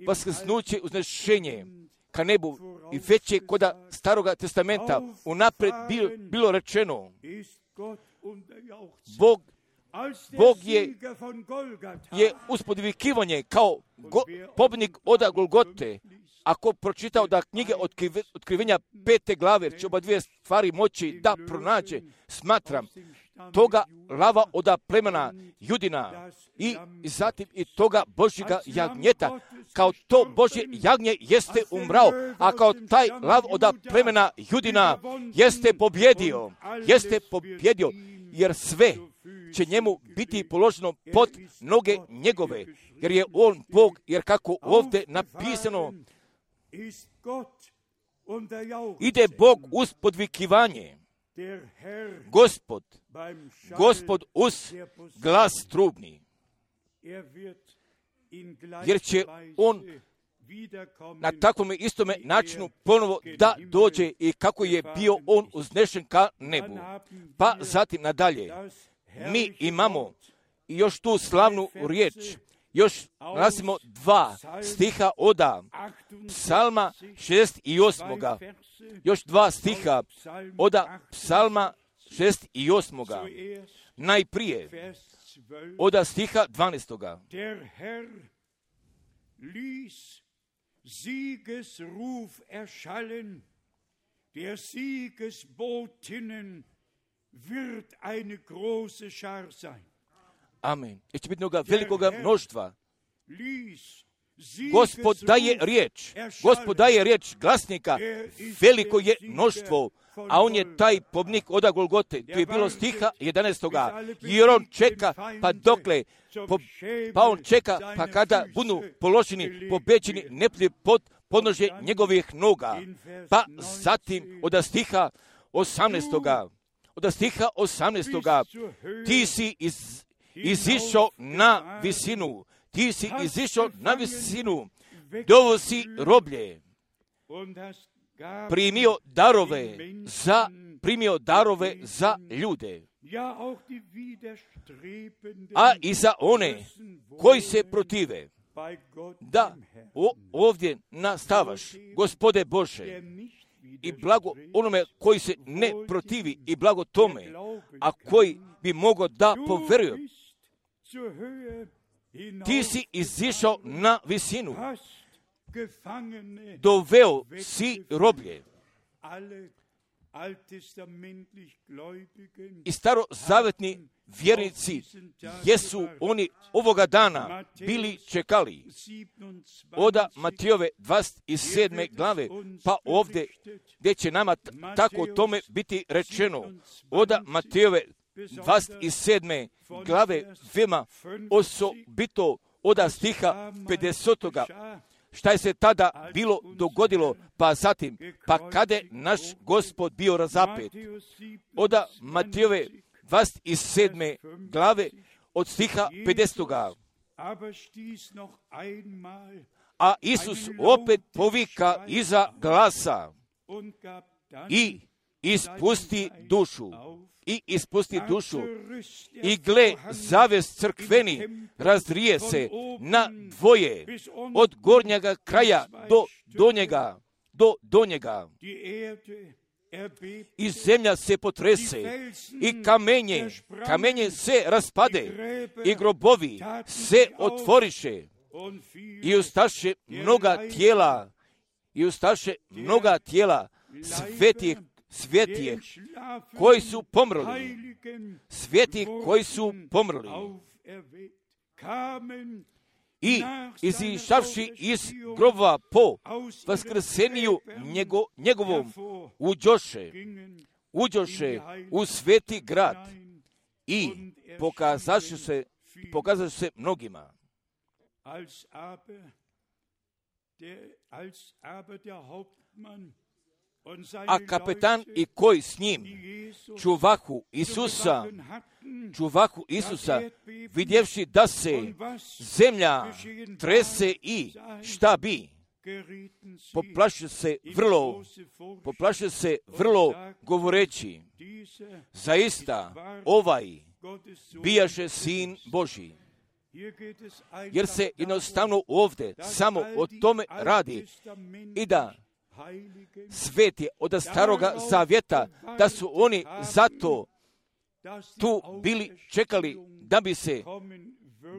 vaskrsnuće, uznešenje ka nebu i već je koda Staroga testamenta unaprijed bilo rečeno, Bog Bog je, je uspodvikivanje kao go, pobjednik oda Golgote. Ako pročitao da knjige otkrive, otkrivenja pete glave, će oba dvije stvari moći da pronađe, smatram, toga lava oda plemena Judina i zatim i toga Božjega jagnjeta, kao to Božje jagnje jeste umrao, a kao taj lav oda plemena Judina jeste pobjedio, jeste pobjedio, jer sve će njemu biti položeno pod noge njegove, jer je on Bog, jer kako ovdje napisano, ide Bog uz podvikivanje, Gospod, Gospod uz glas trubni, jer će on na takvom istome načinu ponovo da dođe i kako je bio on uznešen ka nebu. Pa zatim nadalje, mi imamo još tu slavnu riječ, još nalazimo dva stiha oda Psalma šezdeset osam. Još dva stiha oda Psalma šezdeset osam. Najprije oda stiha dvanaest. Siegesruf erschallen, der Siegesbotinnen wird eine große Schar sein. Amen. I će biti mnoga velikoga mnoštva. Gospod daje riječ, Gospod daje riječ glasnika, veliko je mnoštvo, a on je taj pobjednik oda Golgote. Tu je bilo stiha jedanaest. Jer on čeka, pa dokle, po, pa on čeka, pa kada budu položeni, pobeđeni neprijatelji pod podnožje njegovih noga. Pa zatim od stiha osamnaest. Od stiha osamnaest. Ti si iz, izišao na visinu, ti si izišao na visinu, dovo si roblje, primio darove za, primio darove za ljude, a i za one koji se protive. Da, o, ovdje nastavaš, Gospode Bože, i blago onome koji se ne protivi, i blago tome, a koji bi mogao da poveruje. Ti si izišao na visinu, doveo si roblje. I starozavetni vjernici jesu oni ovoga dana bili čekali. Oda Matijove dvadeset sedme glave, pa ovdje gdje će nama t- tako o tome biti rečeno. Oda Matijove dvadeset sedme glave, veoma osobito oda stiha pedesetoga. Šta je se tada bilo dogodilo, pa zatim, pa kada je naš Gospod bio razapet. Oda Matijove dvadeset sedme glave od stiha pedesetoga. A Isus opet povika iza glasa i ispusti dušu. I ispusti dušu. I gle, zaves crkveni razrije se na dvoje, od gornjega kraja do donjega, do donjega. I zemlja se potrese, i kamenje, kamenje se raspade, i grobovi se otvoriše, i ustaše mnoga tijela, i ustaše mnoga tijela svetih, svetih koji su pomrli, svetih koji su pomrli. I izišavši iz grobova po vaskrseniju njego, njegovom, uđoše, uđoše u sveti grad i pokazaše se pokazat će se mnogima. A kapetan i koji s njim čuvahu Isusa, čuvahu Isusa, vidjevši da se zemlja trese i šta bi, poplaše se vrlo, poplaše se vrlo govoreći, zaista ovaj bijaše Sin Božji. Jer se jednostavno ovdje samo o tome radi i da sveti od staroga zavjeta, da su oni zato tu bili čekali da bi se,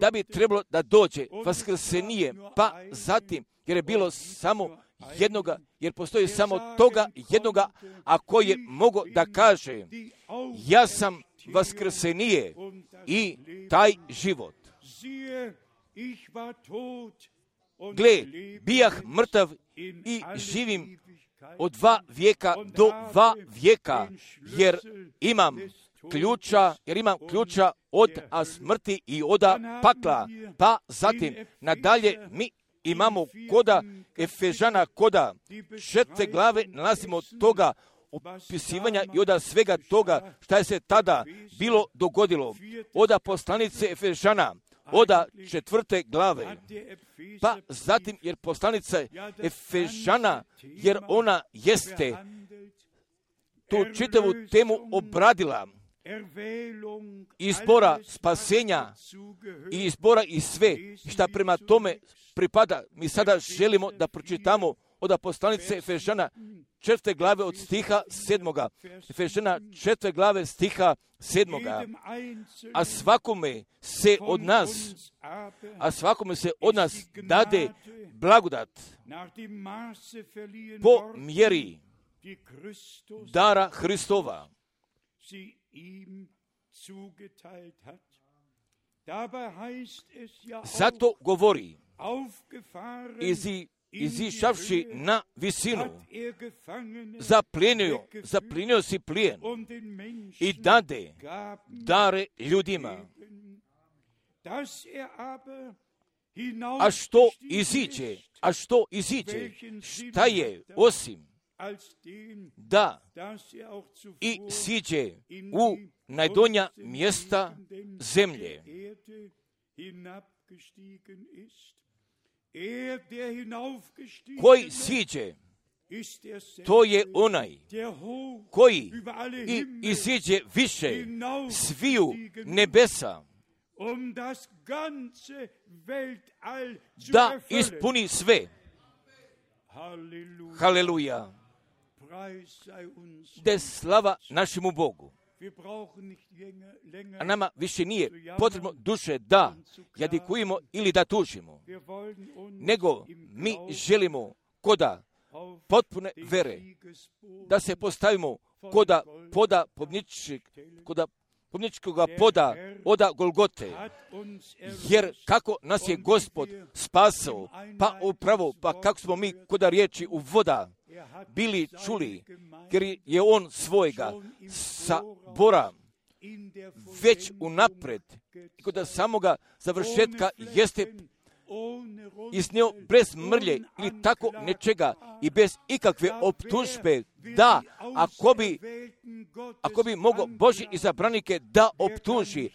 da bi trebalo da dođe vaskrsenije, pa zatim, jer je bilo samo jednoga, jer postoji samo toga jednoga, a koji je mogao da kaže, ja sam vaskrsenije i taj život. Gle, bijah mrtav i živim od dva vijeka do dva vijeka, jer imam ključa, jer imam ključa od a smrti i oda pakla. Pa zatim, nadalje mi imamo koda Efežana, koda četvrte glave, nalazimo toga opisivanja i oda svega toga šta je se tada bilo dogodilo. Oda poslanice Efežana, oda četvrte glave. Pa zatim, jer poslanica Efežana, jer ona jeste tu čitavu temu obradila, izbora spasenja i izbora i sve šta prema tome pripada. Mi sada želimo da pročitamo od poslanice Efežana četvrte glave od stiha sedmoga. Efežana četvrte glave stiha sedmoga. A svakome se od nas, a svakome se od nas dade blagodat po mjeri dara Hristova. Zato govori, izi, izišavši na visinu, zaplenio, zaplenio si plijen i dade dare ljudima. A što iziđe, a što iziđe, šta je osim da i siđe u najdonja mjesta zemlje. Koji siđe, to je onaj koji i iziđe više sviju nebesa, da ispuni sve. Haleluja. Da slava našemu Bogu. A nama više nije potrebno duše da jadikujemo ili da tužimo, nego mi želimo koda potpune vere, da se postavimo koda poda pobničkog, koda pobničkoga poda oda Golgote, jer kako nas je Gospod spasao, pa upravo, pa kako smo mi koda riječi u voda bili čuli, jer je on svojega sabora već unapred, kod samoga završetka jeste iznio bez mrlje ili tako nečega i bez ikakve optužbe, da ako bi, ako bi mogao Božji izabranike da optuži,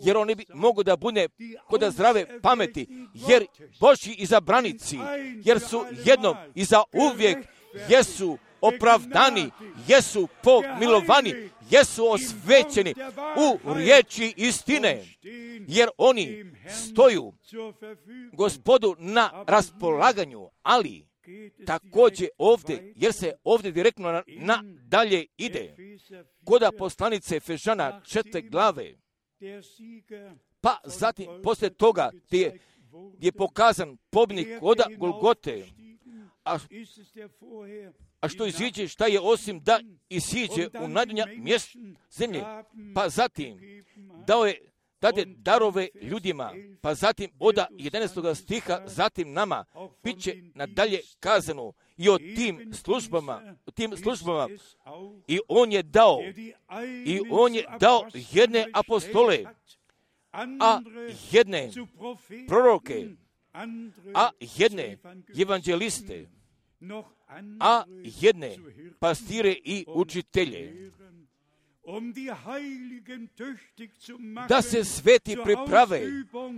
jer oni bi mogu da bude kod zdrave pameti, jer Božji izabranici, jer su jednom i za uvijek, jesu opravdani, jesu pomilovani, jesu osvećeni u riječi istine, jer oni stoju Gospodu na raspolaganju, ali također ovdje, jer se ovdje direktno na, na dalje ide, koda poslanice Efežana četvrte glave, pa zatim poslije toga gdje je, gdje je pokazan pobjednik koda Golgote, a, a što iziđe, šta je osim da isiđe u najdonja mjesta zemlje, pa zatim dao je dade darove ljudima, pa zatim oda jedanaestog stiha, zatim nama, bit će nadalje kazano i o tim službama, o tim službama, i on je dao, i on je dao jedne apostole, a jedne proroke, a jedne evanđeliste, a jedne pastire i učitelje, da se sveti priprave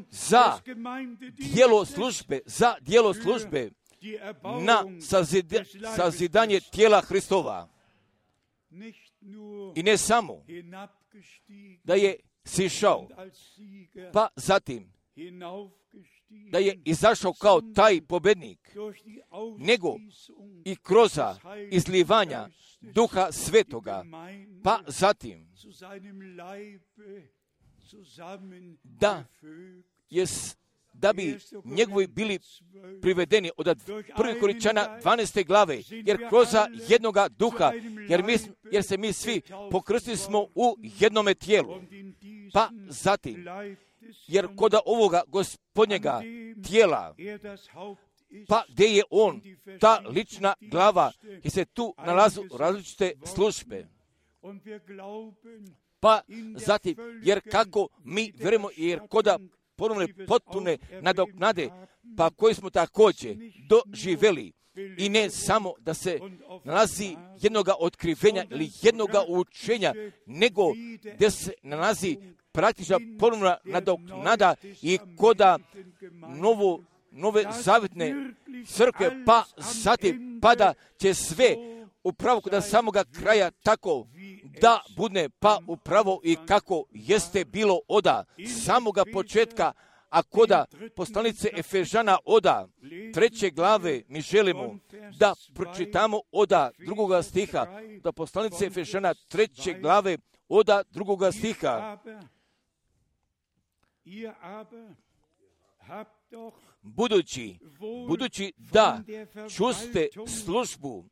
za djelo službe, za djelo službe na sazida, sazidanje tijela Hristova. I ne samo da je sišao, pa zatim da je izašao kao taj pobjednik, nego i kroz izlivanja Duha Svetoga, pa zatim da je da bi njegovi bili privedeni od prvih Korinčana dvanaeste glave, jer kroz jednoga duha, jer, mi, jer se mi svi pokrstili smo u jednome tijelu, pa zatim, jer kod ovoga gospodnjega tijela, pa gdje je on, ta lična glava, jer se tu nalazu različite službe. Pa zatim, jer kako mi vjerujemo, jer koda ponovne potpune nadoknade, pa koji smo također doživjeli, i ne samo da se nalazi jednoga otkrivenja ili jednoga učenja, nego gdje se nalazi praktična ponovna nadoknada i koda novo, nove zavjetne crkve, pa zatim pada će sve upravo kod samoga kraja tako da bude pa upravo i kako jeste bilo oda samoga početka, a koda poslanice Efežana oda treće glave mi želimo da pročitamo oda drugoga stiha, da poslanice Efežana treće glave oda drugoga stiha. Budući, budući da čuste službu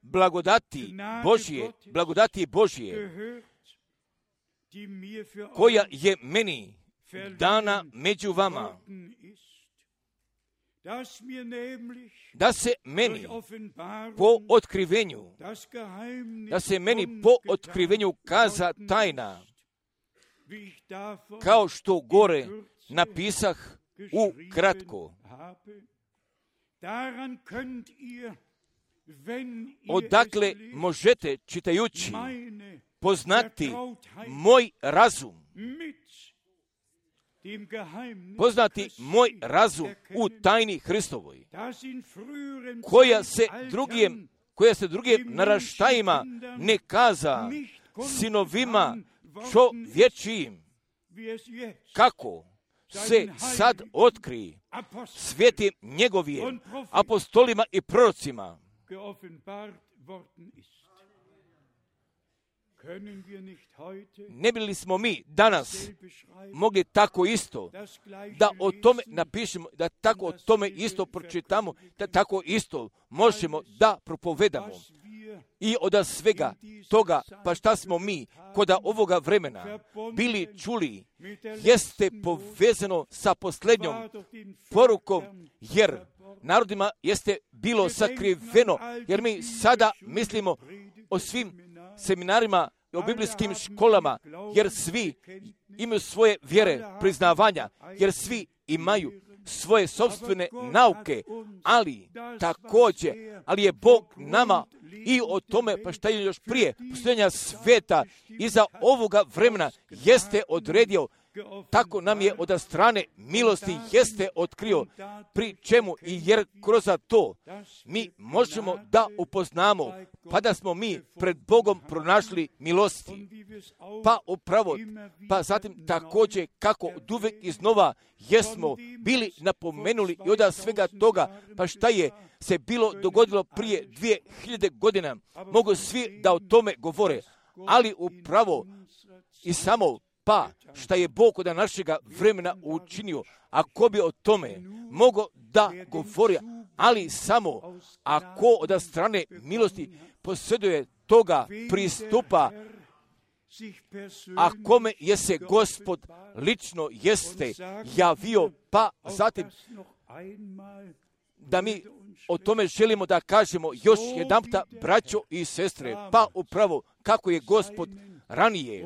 blagodati Božje, blagodati Božje, koja je meni dana među vama, da se meni po otkrivenju, da se meni po otkrivenju kaza tajna, kao što gore napisah u kratko. Odakle možete, čitajući, poznati moj razum, poznati moj razum u tajni Hristovoj, koja se drugim, koja se drugim naraštajima ne kaza sinovima čovječijim, kako se sad otkri svetim njegovim apostolima i prorocima. Ne bi li smo mi danas mogli tako isto da o tome napišemo, da tako o tome isto pročitamo, da tako isto možemo da propovedamo. I od svega toga, pa šta smo mi kod ovoga vremena bili čuli, jeste povezano sa posljednjom porukom, jer narodima jeste bilo sakriveno, jer mi sada mislimo o svim seminarima i o biblijskim školama, jer svi imaju svoje vjere, priznavanja, jer svi imaju svoje sopstvene nauke, ali također, ali je Bog nama i o tome, pa šta je još prije postojanja sveta iza ovoga vremena jeste odredio, tako nam je od strane milosti jeste otkrio, pri čemu i jer kroz to mi možemo da upoznamo, pa da smo mi pred Bogom pronašli milosti. Pa upravo, pa zatim također kako od uvijek iznova jesmo bili napomenuli i od svega toga, pa šta je se bilo dogodilo prije dvije hiljade godina, mogu svi da o tome govore, ali upravo i samo pa šta je Bog od našega vremena učinio, ako bi o tome mogo da govori, ali samo ako od strane milosti posjeduje toga pristupa, a kome je se Gospod lično jeste javio, pa zatim da mi o tome želimo da kažemo još jedanputa, braćo i sestre, pa upravo kako je Gospod ranije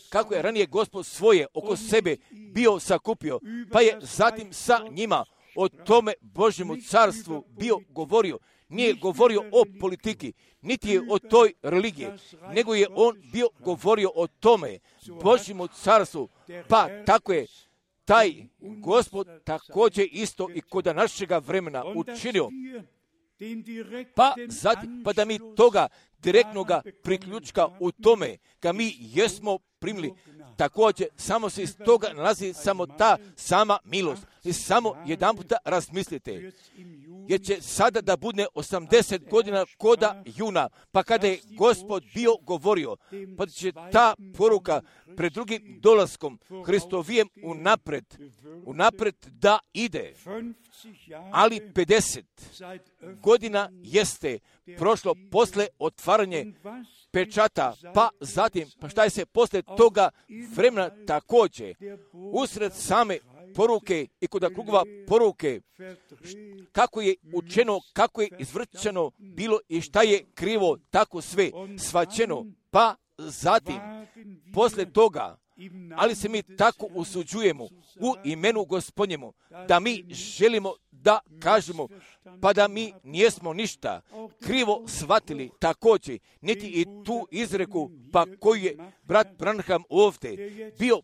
kako je ranije Gospod svoje oko sebe bio sakupio, pa je zatim sa njima o tome Božjemu carstvu bio govorio. Nije govorio o politiki, niti je o toj religiji, nego je on bio govorio o tome Božjemu carstvu. Pa tako je taj Gospod također isto i kod našega vremena učinio. Pa, zatim, pa da mi toga direktnoga priključka u tome, ga mi jesmo primili, također samo se iz toga nalazi samo ta sama milost. I samo jedan puta razmislite, jer će sada da bude osamdeset godina koda juna, pa kada je Gospod bio govorio, pa će ta poruka pred drugim dolaskom Hristovijem unapred, unapred da ide. Ali pedeset godina jeste prošlo posle otvaranje pečata, pa zatim, pa šta je se posle toga vremena također, usred same poruke i kod krugova poruke, kako je učeno, kako je izvrćeno bilo i šta je krivo, tako sve svačeno, pa zatim, posle toga, ali se mi tako usuđujemo u imenu Gospodnjemu, da mi želimo da kažemo, pa da mi nijesmo ništa krivo shvatili također, niti i tu izreku, pa koju je brat Branham ovdje bio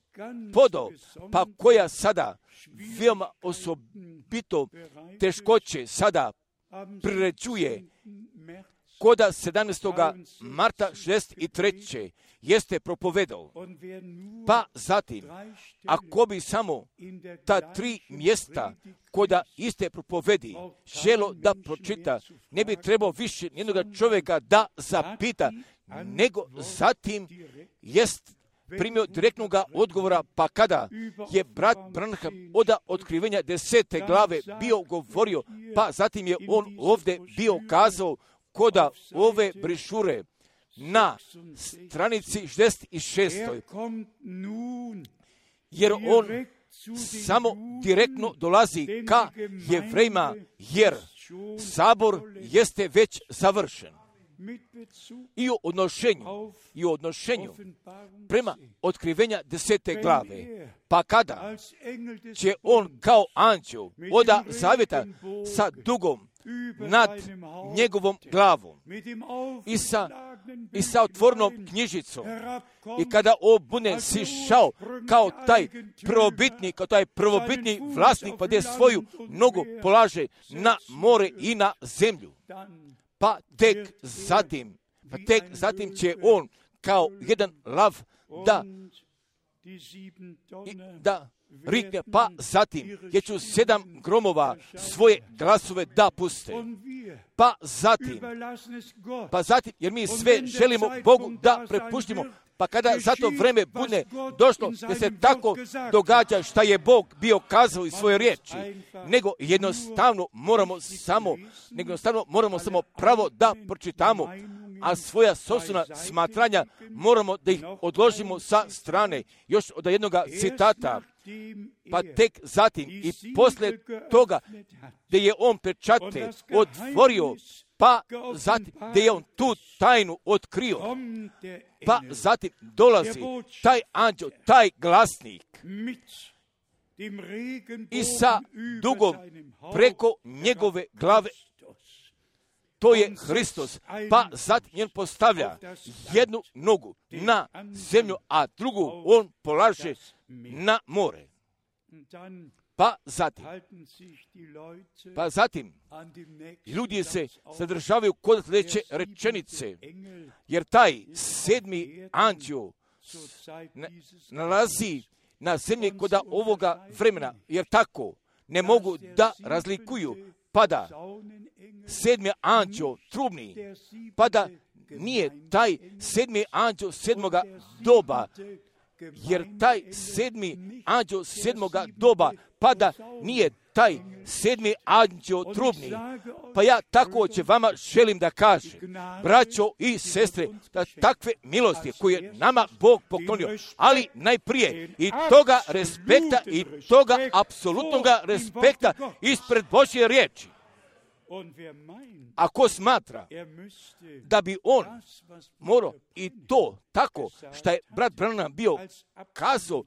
podao, pa koja sada veoma osobito teškoće sada priređuje koda sedamnaestog marta šezdeset treće jeste propovedao. Pa zatim, ako bi samo ta tri mjesta koda iste propovedi želo da pročita, ne bi trebao više nijednoga čovjeka da zapita, nego zatim jest primio direktnog odgovora, pa kada je brat Branham od otkrivenja desete glave bio govorio, pa zatim je on ovdje bio kazao koda ove brišure na stranici šezdeset šest. Jer on samo direktno dolazi ka Jevrejima, jer sabor jeste već završen. I u odnošenju, i u odnošenju prema otkrivenja desete glave, pa kada će on kao anđeo oda zavjeta sa dugom nad njegovom glavom i sa, i sa otvornom knjižicom, i kada on bude sišao kao taj prvobitni, kao taj prvobitni vlasnik, pa gdje svoju nogu polaže na more i na zemlju, pa tek zatim, pa tek zatim će on kao jedan lav da, i, da rikne, pa zatim je ću sedam gromova svoje glasove da puste. Pa zatim, pa zatim, jer mi sve želimo Bogu da prepuštimo, pa kada za to vreme bude došlo da se tako događa šta je Bog bio kazao iz svoje riječi, nego jednostavno moramo samo, nego jednostavno moramo samo pravo da pročitamo, a svoja sopstvena smatranja moramo da ih odložimo sa strane. Još od jednog citata, pa tek zatim i posle toga gdje je on pečate otvorio, pa zatim gdje je on tu tajnu otkrio, pa zatim dolazi taj anđeo, taj glasnik i sa dugom preko njegove glave, to je Hristos, pa zatim on postavlja jednu nogu na zemlju, a drugu on polaže na more. Pa zatim, pa zatim, ljudi se zadržavaju kod sljedeće rečenice, jer taj sedmi anđeo nalazi na zemlji kod ovoga vremena, jer tako ne mogu da razlikuju, pada sedmi anđeo trubni, pada nije taj sedmi anđeo sedmoga doba, jer taj sedmi anđeo sedmoga doba pada nije taj sedmi anđeo trubni. Pa ja tako će vama želim da kažem, braćo i sestre, da takve milosti koje nama Bog poklonio, ali najprije i toga respekta i toga apsolutnog respekta ispred Božje riječi. A ko smatra da bi on morao i to tako što je brat Branham bio kazao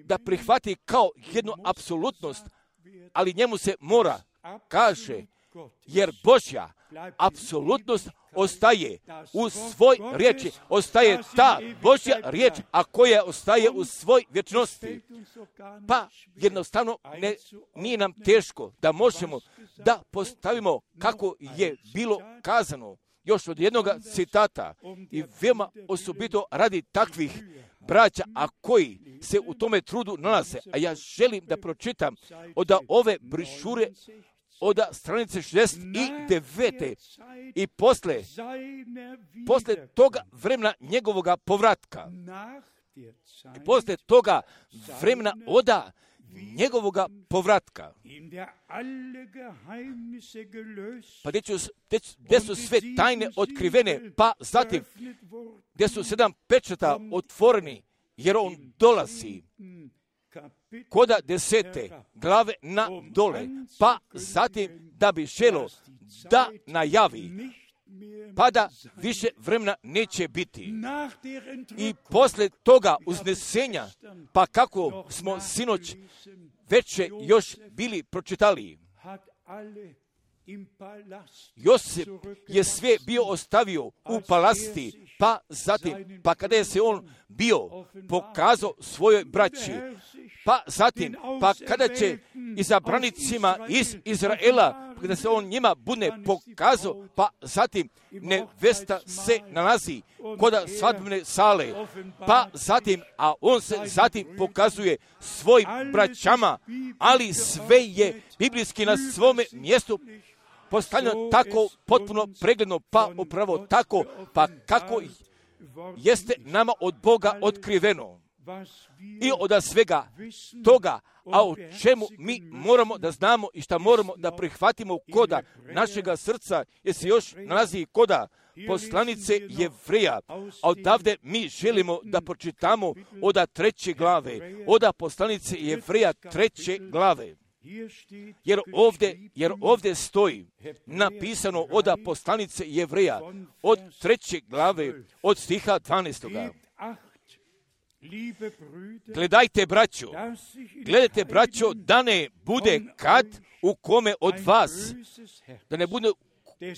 da prihvati kao jednu apsolutnost, ali njemu se mora, kaže, jer Božja apsolutnost ostaje u svoj riječi, ostaje ta Božja riječ, a koja ostaje u svoj vječnosti. Pa jednostavno ne, nije nam teško da možemo da postavimo kako je bilo kazano još od jednog citata i veoma osobito radi takvih braća, a koji se u tome trudu nalaze. A ja želim da pročitam od ove brišure od stranice šezdeset devet. I posle, posle toga vremena njegovoga povratka, i posle toga vremena oda njegovoga povratka, pa gdje, ću, gdje su sve tajne otkrivene, pa zatim gdje su sedam pečata otvoreni, jer on dolazi koda desete glave na dole, pa zatim da bi želo da najavi, pa da više vremena neće biti. I posle toga uznesenja, pa kako smo sinoć veće još bili pročitali, Josip je sve bio ostavio u palasti, pa zatim, pa kada je se on bio pokazao svojoj braći, pa zatim, pa kada će izabranicima iz Izraela, kada se on njima bude pokazao, pa zatim nevesta se nalazi kod svadbene sale, pa zatim, a on se zatim pokazuje svoj braćama, ali sve je biblijski na svome mjestu postavljeno tako potpuno pregledno, pa upravo tako, pa kako jeste nama od Boga otkriveno. I od svega toga, a o čemu mi moramo da znamo i šta moramo da prihvatimo koda našega srca, jer se još nalazi koda poslanice Jevreja, a odavde mi želimo da pročitamo od treće glave, od poslanice Jevreja treće glave. Jer ovdje, jer ovdje stoji napisano od poslanice Jevreja od treće glave, od stiha dvanaestoga. Gledajte, braćo, gledajte, braćo, da ne bude kad u kome od vas, da ne bude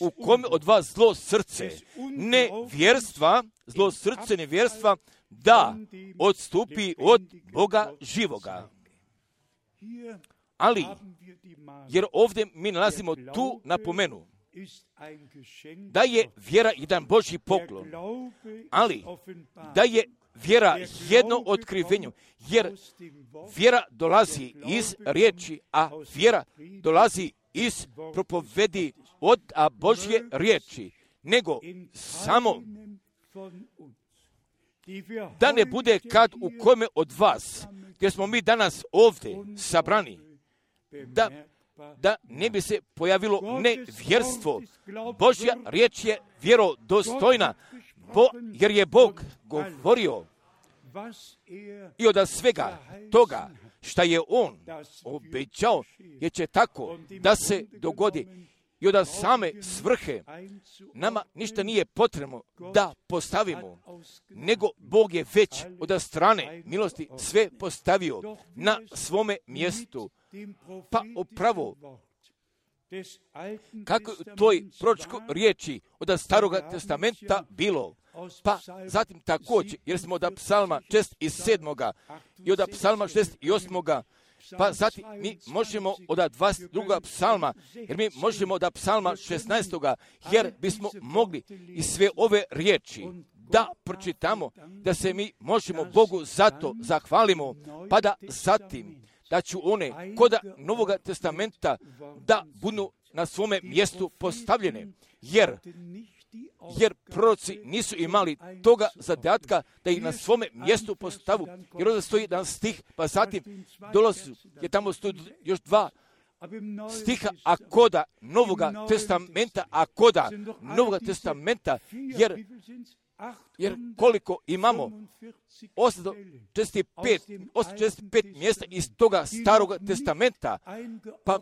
u kome od vas zlo srce, nevjerstva, zlo srce nevjerstva, da odstupi od Boga živoga. Ali, jer ovdje mi nalazimo tu napomenu, da je vjera jedan Božji poklon, ali da je vjera jedno otkrivenje, jer vjera dolazi iz riječi, a vjera dolazi iz propovedi od a Božje riječi, nego samo da ne bude kad u kome od vas, gdje smo mi danas ovdje sabrani, da, da ne bi se pojavilo nevjerstvo. Božja riječ je vjerodostojna, bo, jer je Bog govorio i od svega toga šta je On obećao, jer će tako da se dogodi. I od same svrhe nama ništa nije potrebno da postavimo, nego Bog je već od strane milosti sve postavio na svome mjestu. Pa upravo kako u toj proročkoj riječi od Staroga testamenta bilo, pa zatim također, jer smo od psalma šezdeset sedmoga i od psalma šezdeset osmoga, pa zatim mi možemo od dvadeset drugog psalma, jer mi možemo od psalma šesnaestoga, jer bismo mogli i sve ove riječi da pročitamo, da se mi možemo Bogu zato zahvalimo, pa da zatim da ću one koda Novoga testamenta da budu na svome mjestu postavljene, jer jer proroci nisu imali toga zadatka da ih na svome mjestu postavu, jer ovdje stoji jedan stih, pa zatim dolazi, jer tamo stoji još dva stiha, a koda Novoga testamenta, a koda Novoga testamenta, jer, jer koliko imamo osamsto četrdeset pet mjesta iz toga Staroga testamenta, pa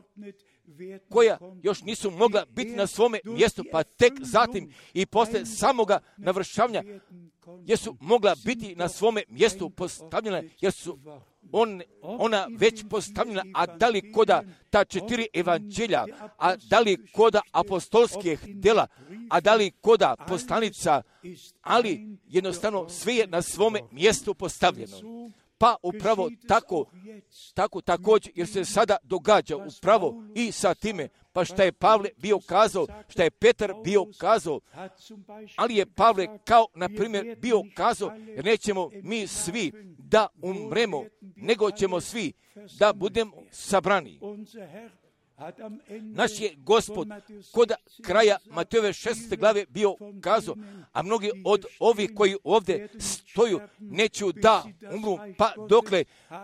koja još nisu mogla biti na svome mjestu, pa tek zatim i posle samoga navršavanja, jer su mogla biti na svome mjestu postavljena, jer su on, ona već postavljena, a da li koda ta četiri evanđelja, a da li koda apostolskih dela, a da li koda poslanica, ali jednostavno sve je na svome mjestu postavljeno. Pa upravo tako, tako također, jer se sada događa upravo i sa time, pa šta je Pavle bio kazao, šta je Petar bio kazao, ali je Pavle kao, na primjer, bio kazao, jer nećemo mi svi da umremo, nego ćemo svi da budemo sabrani. Naš je Gospod kod kraja Matejove šestnaeste glave bio kazao, a mnogi od ovih koji ovdje stoju neću da umru, pa dokle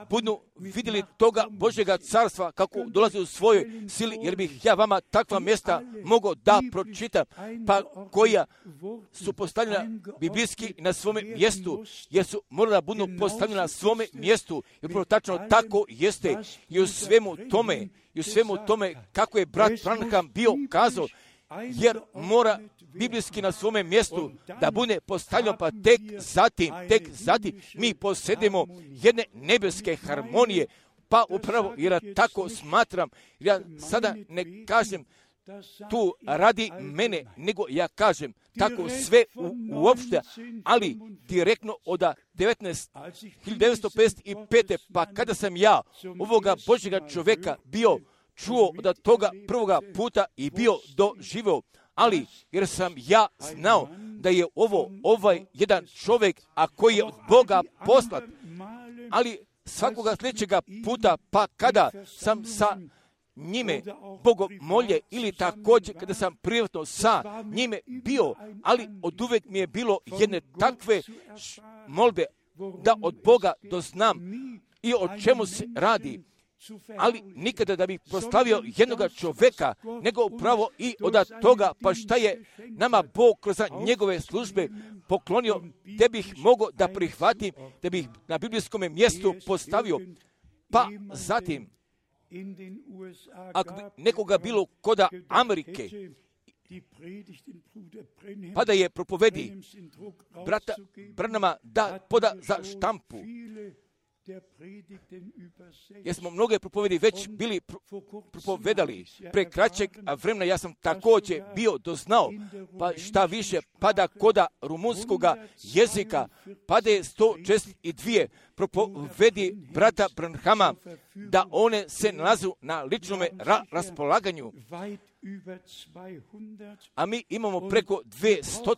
budu vidjeli toga Božjega carstva kako dolazi u svojoj sili, jer bih ja vama takva mjesta mogao da pročitam, pa koja su postavljena biblijski na svome mjestu, jer su morala da budu postavljena na svome mjestu, jer prvo tačno tako jeste i u svemu tome, i u svemu tome kako je brat Branham bio kazao, jer mora biblijski na svome mjestu da bude postavljeno, pa tek zatim, tek zatim mi posjedimo jedne nebeske harmonije, pa upravo jer ja tako smatram, ja sada ne kažem tu radi mene, nego ja kažem tako sve u, uopšte, ali direktno od hiljadu devetsto pedeset pete. pa kada sam ja ovoga Božjega čovjeka bio čuo od toga prvoga puta i bio doživio, ali jer sam ja znao da je ovo ovaj jedan čovjek, a koji je od Boga poslat, ali svakoga sljedećega puta, pa kada sam sa njime bogomolje ili također kada sam privatno sa njime bio, ali od uvijek mi je bilo jedne takve molbe da od Boga doznam i o čemu se radi, ali nikada da bih proslavio jednoga čovjeka, nego upravo i od toga, pa šta je nama Bog kroz njegove službe poklonio, da bih mogao da prihvatim, da bih na biblijskom mjestu postavio, pa zatim, ako bi nekoga bilo koda Amerike, pa da je propovedi brata Branhama da poda za štampu, jer smo mnoge propovedi već bili propovedali pre kraćeg vremena, ja sam također bio doznao, pa šta više, pada koda rumunskoga jezika, pada je sto šezdeset dva propovedi brata Branhama, da one se nalazu na ličnome ra- raspolaganju, a mi imamo preko dvjesto,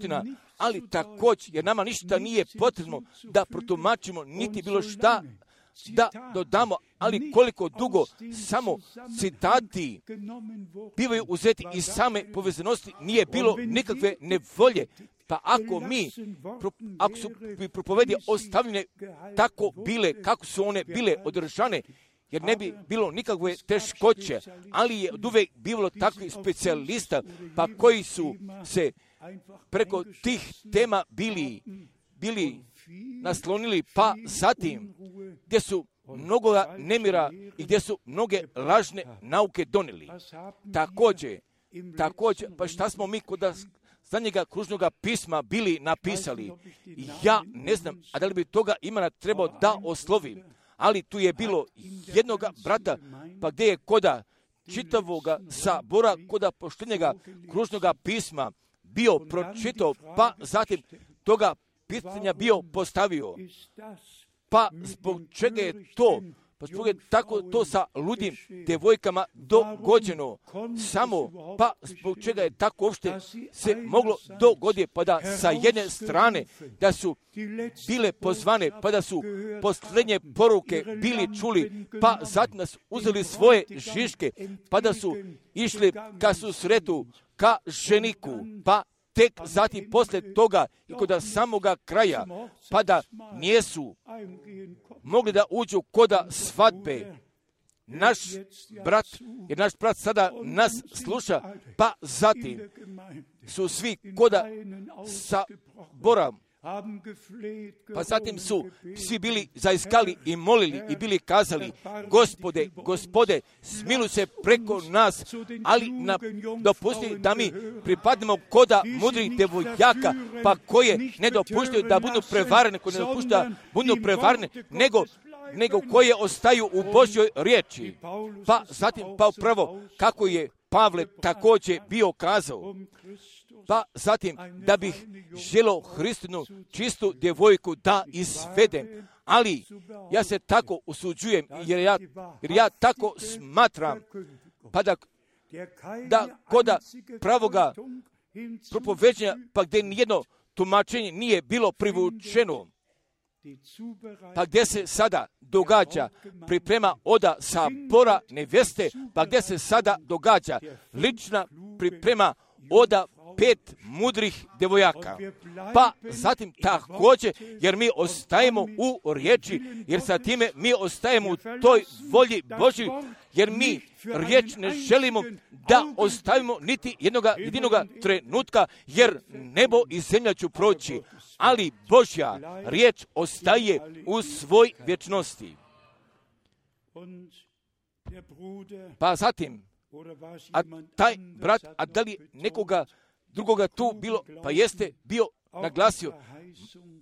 ali također, jer nama ništa nije potrebno da protumačimo, niti bilo šta da dodamo, ali koliko dugo samo citati bivaju uzeti iz same povezanosti, nije bilo nikakve nevolje. Pa ako mi, ako su propovedi ostavljene tako bile, kako su one bile održane, jer ne bi bilo nikakve teškoće, ali je od uvijek bivalo takvih specijalista, pa koji su se preko tih tema bili, bili naslonili, pa zatim gdje su mnogoga nemira i gdje su mnoge lažne nauke donijeli. Također, također, pa šta smo mi kod zadnjega kružnoga pisma bili napisali? Ja ne znam, a da li bi toga imena trebao da oslovim, ali tu je bilo jednoga brata, pa gdje je koda čitavoga sabora, koda poštenjega kružnoga pisma bio pročitao, pa zatim toga pitanja bio postavio. Pa zbog čega je to? Pa zbog je tako to sa ludim devojkama dogođeno. Samo, pa zbog čega je tako uopšte se moglo dogoditi, pa da sa jedne strane da su bile pozvane, pa da su posljednje poruke bili čuli, pa zatim da su uzeli svoje žiške, pa da su išli ka susretu, ka ženiku, pa tek zatim poslije toga i kod samoga kraja, pa da nijesu mogli da uđu koda svadbe. Naš brat, jer naš brat sada nas sluša, pa zatim su svi koda sabora Pa zatim su svi bili zaiskali i molili i bili kazali, Gospode, Gospode, smiluj se preko nas, ali na, dopusti da mi pripadnemo koda mudrih devojaka, pa koje ne dopuštaju da budu prevarene, koje ne dopuštaju da budu prevarene, nego nego koje ostaju u Božjoj riječi. Pa zatim, pa upravo, kako je Pavle također bio kazao, pa zatim, da bih želio Hristinu čistu djevojku da izvedem, ali ja se tako usuđujem, jer ja, jer ja tako smatram, pa da, da koda pravoga propoveđenja, pa gdje nijedno tumačenje nije bilo privučeno, pa gdje se sada događa priprema oda sabora neveste, pa gdje se sada događa lična priprema oda pet mudrih devojaka. Pa zatim također, jer mi ostajemo u riječi, jer sa time mi ostajemo u toj volji Božji, jer mi riječ ne želimo da ostavimo niti jednoga jedinoga trenutka, jer nebo i zemlja će proći, ali Božja riječ ostaje u svoj vječnosti. Pa zatim, a taj brat, a da li nekoga drugoga tu bilo, pa jeste bio naglasio,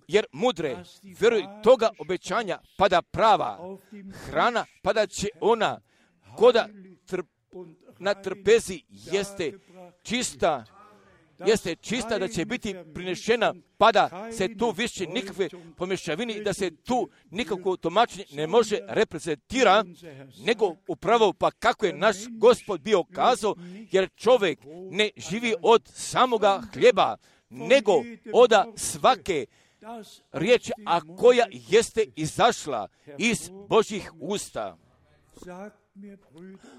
jer mudre vjeruj toga obećanja pada prava hrana, pada će ona koda trp, na trpezi jeste čista, jeste čista da će biti prinešena, pa da se tu više nikakve pomješavine i da se tu nikakvo tumačenje ne može reprezentira, nego upravo pa kako je naš Gospod bio kazao, jer čovjek ne živi od samoga hljeba, nego od svake riječi, a koja jeste izašla iz Božjih usta.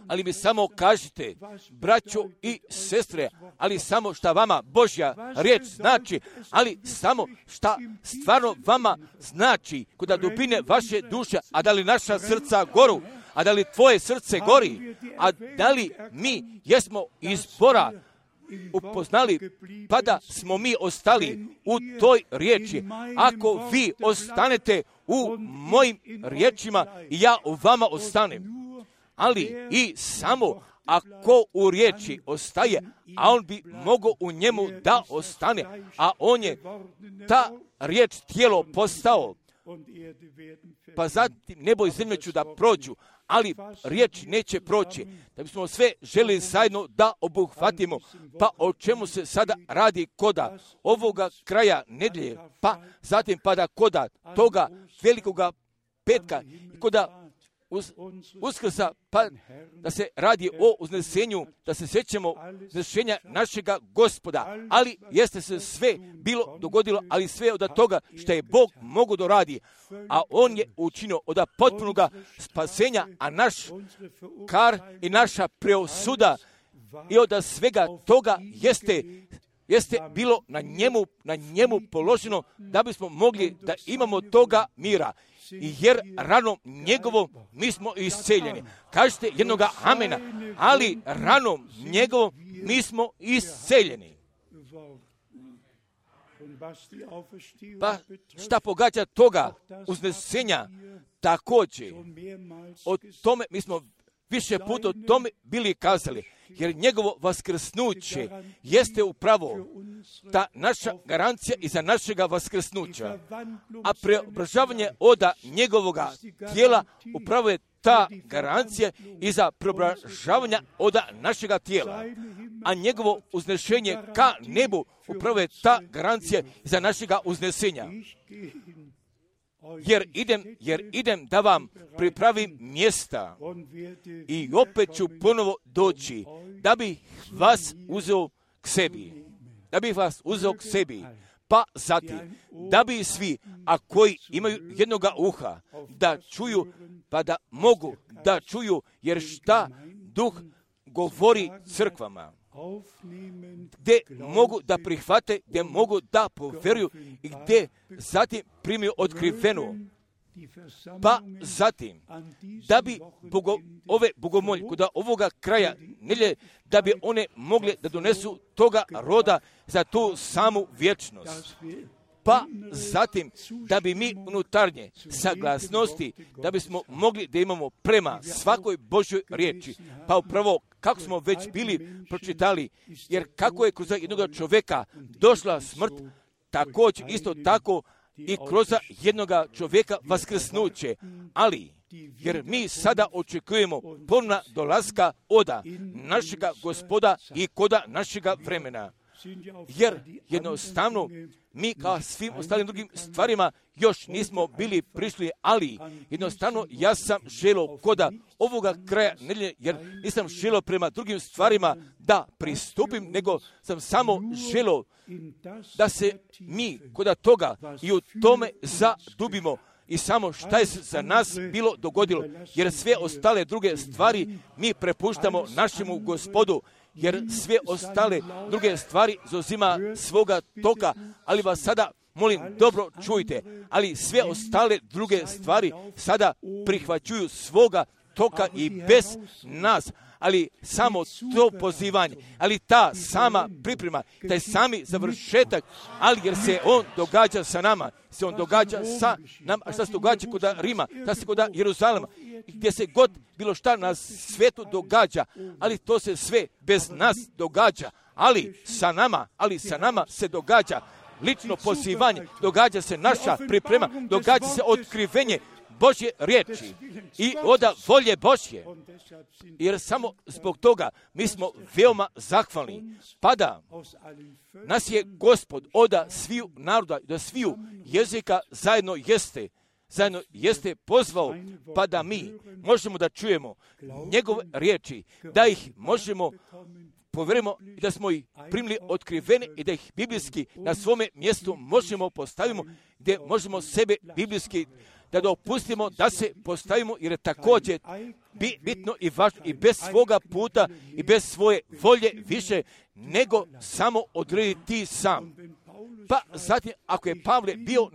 Ali mi samo kažite, braćo i sestre, ali samo šta vama Božja riječ znači, ali samo šta stvarno vama znači kod dubine vaše duše, a da li naša srca goru, a da li tvoje srce gori, a da li mi jesmo izbora upoznali, pa da smo mi ostali u toj riječi. Ako vi ostanete u mojim riječima i ja u vama ostanem, ali i samo ako u riječi ostaje, a on bi mogao u njemu da ostane, a on je ta riječ tijelo postao, pa zatim nebo i zemlja ću da prođu, ali riječ neće proći. Da bismo sve želi zajedno da obuhvatimo, pa o čemu se sada radi koda ovoga kraja nedjelje, pa zatim pada koda toga velikoga petka i koda Uz, uskrsa, pa da se radi o uznesenju, da se sjećamo uznešenja našega Gospoda, ali jeste se sve bilo dogodilo, ali sve od toga što je Bog mogu da radi, a On je učinio od potpunoga spasenja, a naš kar i naša preosuda i od svega toga jeste jeste bilo na njemu, na njemu položeno da bismo mogli da imamo toga mira. Jer ranom njegovom mi smo isceljeni. Kažete jednoga amena, ali ranom njegovom mi smo isceljeni. Pa šta pogađa toga uznesenja također? O tome mi smo više puta o tome bili kazali, jer njegovo vaskrsnuće jeste upravo ta naša garancija i za našega vaskrsnuća. A preobražavanje od njegovoga tijela upravo je ta garancija i za preobražavanje od našega tijela. A njegovo uznešenje ka nebu upravo je ta garancija za našega uznesenja. Jer idem, jer idem da vam pripravim mjesta i opet ću ponovo doći da bih vas uzeo k sebi. Da bih vas uzeo k sebi. Pa zatim, da bi svi, a koji imaju jednoga uha, da čuju, pa da mogu da čuju, jer šta Duh govori crkvama. Gdje mogu da prihvate, gdje mogu da povjeruju i gdje zatim primiju otkrivenu. Pa zatim, da bi bogo, ove bogomolje, kod ovoga kraja nelje, da bi one mogle da donesu toga roda za tu samu vječnost. pa zatim da bi mi unutarnje saglasnosti, da bismo mogli da imamo prema svakoj Božoj riječi. Pa upravo kako smo već bili pročitali, jer kako je kroz jednog čovjeka došla smrt, također isto tako i kroz jednoga čovjeka vaskrsnuće. Ali, jer mi sada očekujemo ponovna dolaska oda našega Gospoda i koda našega vremena. Jer jednostavno mi kao svim ostalim drugim stvarima još nismo bili prišli, ali jednostavno ja sam želio koda ovoga kraja nedjelje, jer nisam želio prema drugim stvarima da pristupim, nego sam samo želio da se mi koda toga i u tome zadubimo i samo šta je za nas bilo dogodilo, jer sve ostale druge stvari mi prepuštamo našemu Gospodu, jer sve ostale druge stvari zauzima svoga toka, ali vas sada molim dobro čujte, ali sve ostale druge stvari sada prihvaćuju svoga toka i bez nas, ali samo to pozivanje, ali ta sama priprema, taj sami završetak, ali jer se on događa sa nama, se on događa sa nama, a šta se događa kod Rima, šta se kod Jeruzalema, gdje se god bilo šta na svijetu događa, ali to se sve bez nas događa, ali sa nama, ali sa nama se događa lično pozivanje, događa se naša priprema, događa se otkrivenje Božje riječi i oda volje Božje. Jer samo zbog toga mi smo veoma zahvalni. Pa da nas je Gospod oda sviju naroda, da sviju jezika zajedno jeste, zajedno jeste pozvao, pa da mi možemo da čujemo njegove riječi, da ih možemo povjerujemo i da smo ih primili otkrivene i da ih biblijski na svome mjestu možemo postavimo, gdje možemo sebe biblijski da dopustimo da se postavimo, jer je također bitno i važno i bez svoga puta i bez svoje volje više nego samo odrediti ti sam. Pa zatim, ako je Pavle bio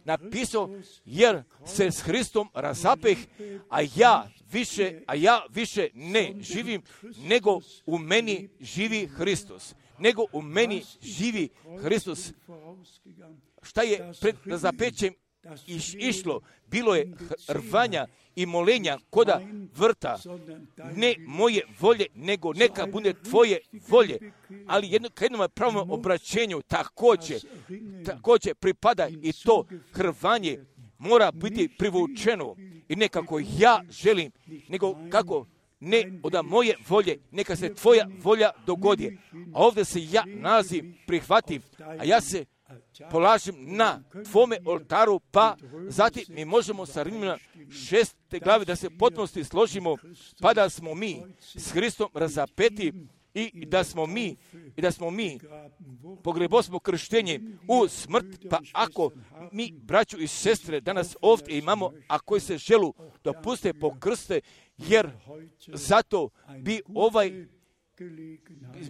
napisao, jer se s Hristom razapeh, a ja više, a ja više ne živim, nego u meni živi Hristos. Nego u meni živi Hristos. Šta je pred razapećem iš, išlo? Bilo je rvanja i molenja koda vrta. Ne moje volje, nego neka bude tvoje volje. Ali jedno, k jednom pravom obraćenju također, također pripada i to hrvanje mora biti privučeno. I nekako ja želim, nego kako ne od moje volje, neka se tvoja volja dogodi. A ovdje se ja nalazim, prihvatim, a ja se polažem na tvome oltaru, pa zatim mi možemo sa Rimljana šeste glave da se potpunosti složimo, pa da smo mi s Hristom razapeti i da smo mi i da smo mi pogrebosmo krštenjem u smrt. Pa ako mi, braćo i sestre, danas ovdje imamo, a koji se želu dopuste pokrste, jer zato bi ovaj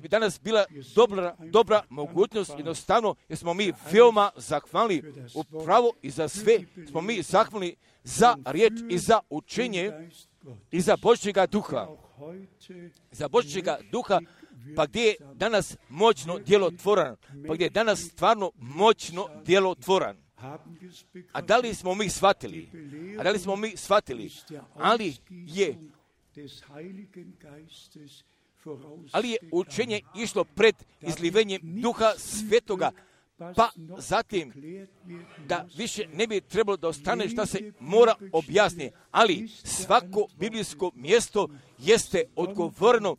bi danas bila dobra, dobra mogućnost, jednostavno, jer smo mi veoma zahvalni upravo i za sve, smo mi zahvalni za riječ i za učenje i za Božjega duha. Za Božjega duha, pa gdje je danas moćno djelotvoran, pa gdje je danas stvarno moćno djelotvoran. A da li smo mi shvatili? A da li smo mi shvatili? Ali je Ali je učenje išlo pred izlivenjem Duha Svetoga, pa zatim da više ne bi trebalo da ostane šta se mora objasniti, ali svako biblijsko mjesto jeste odgovorno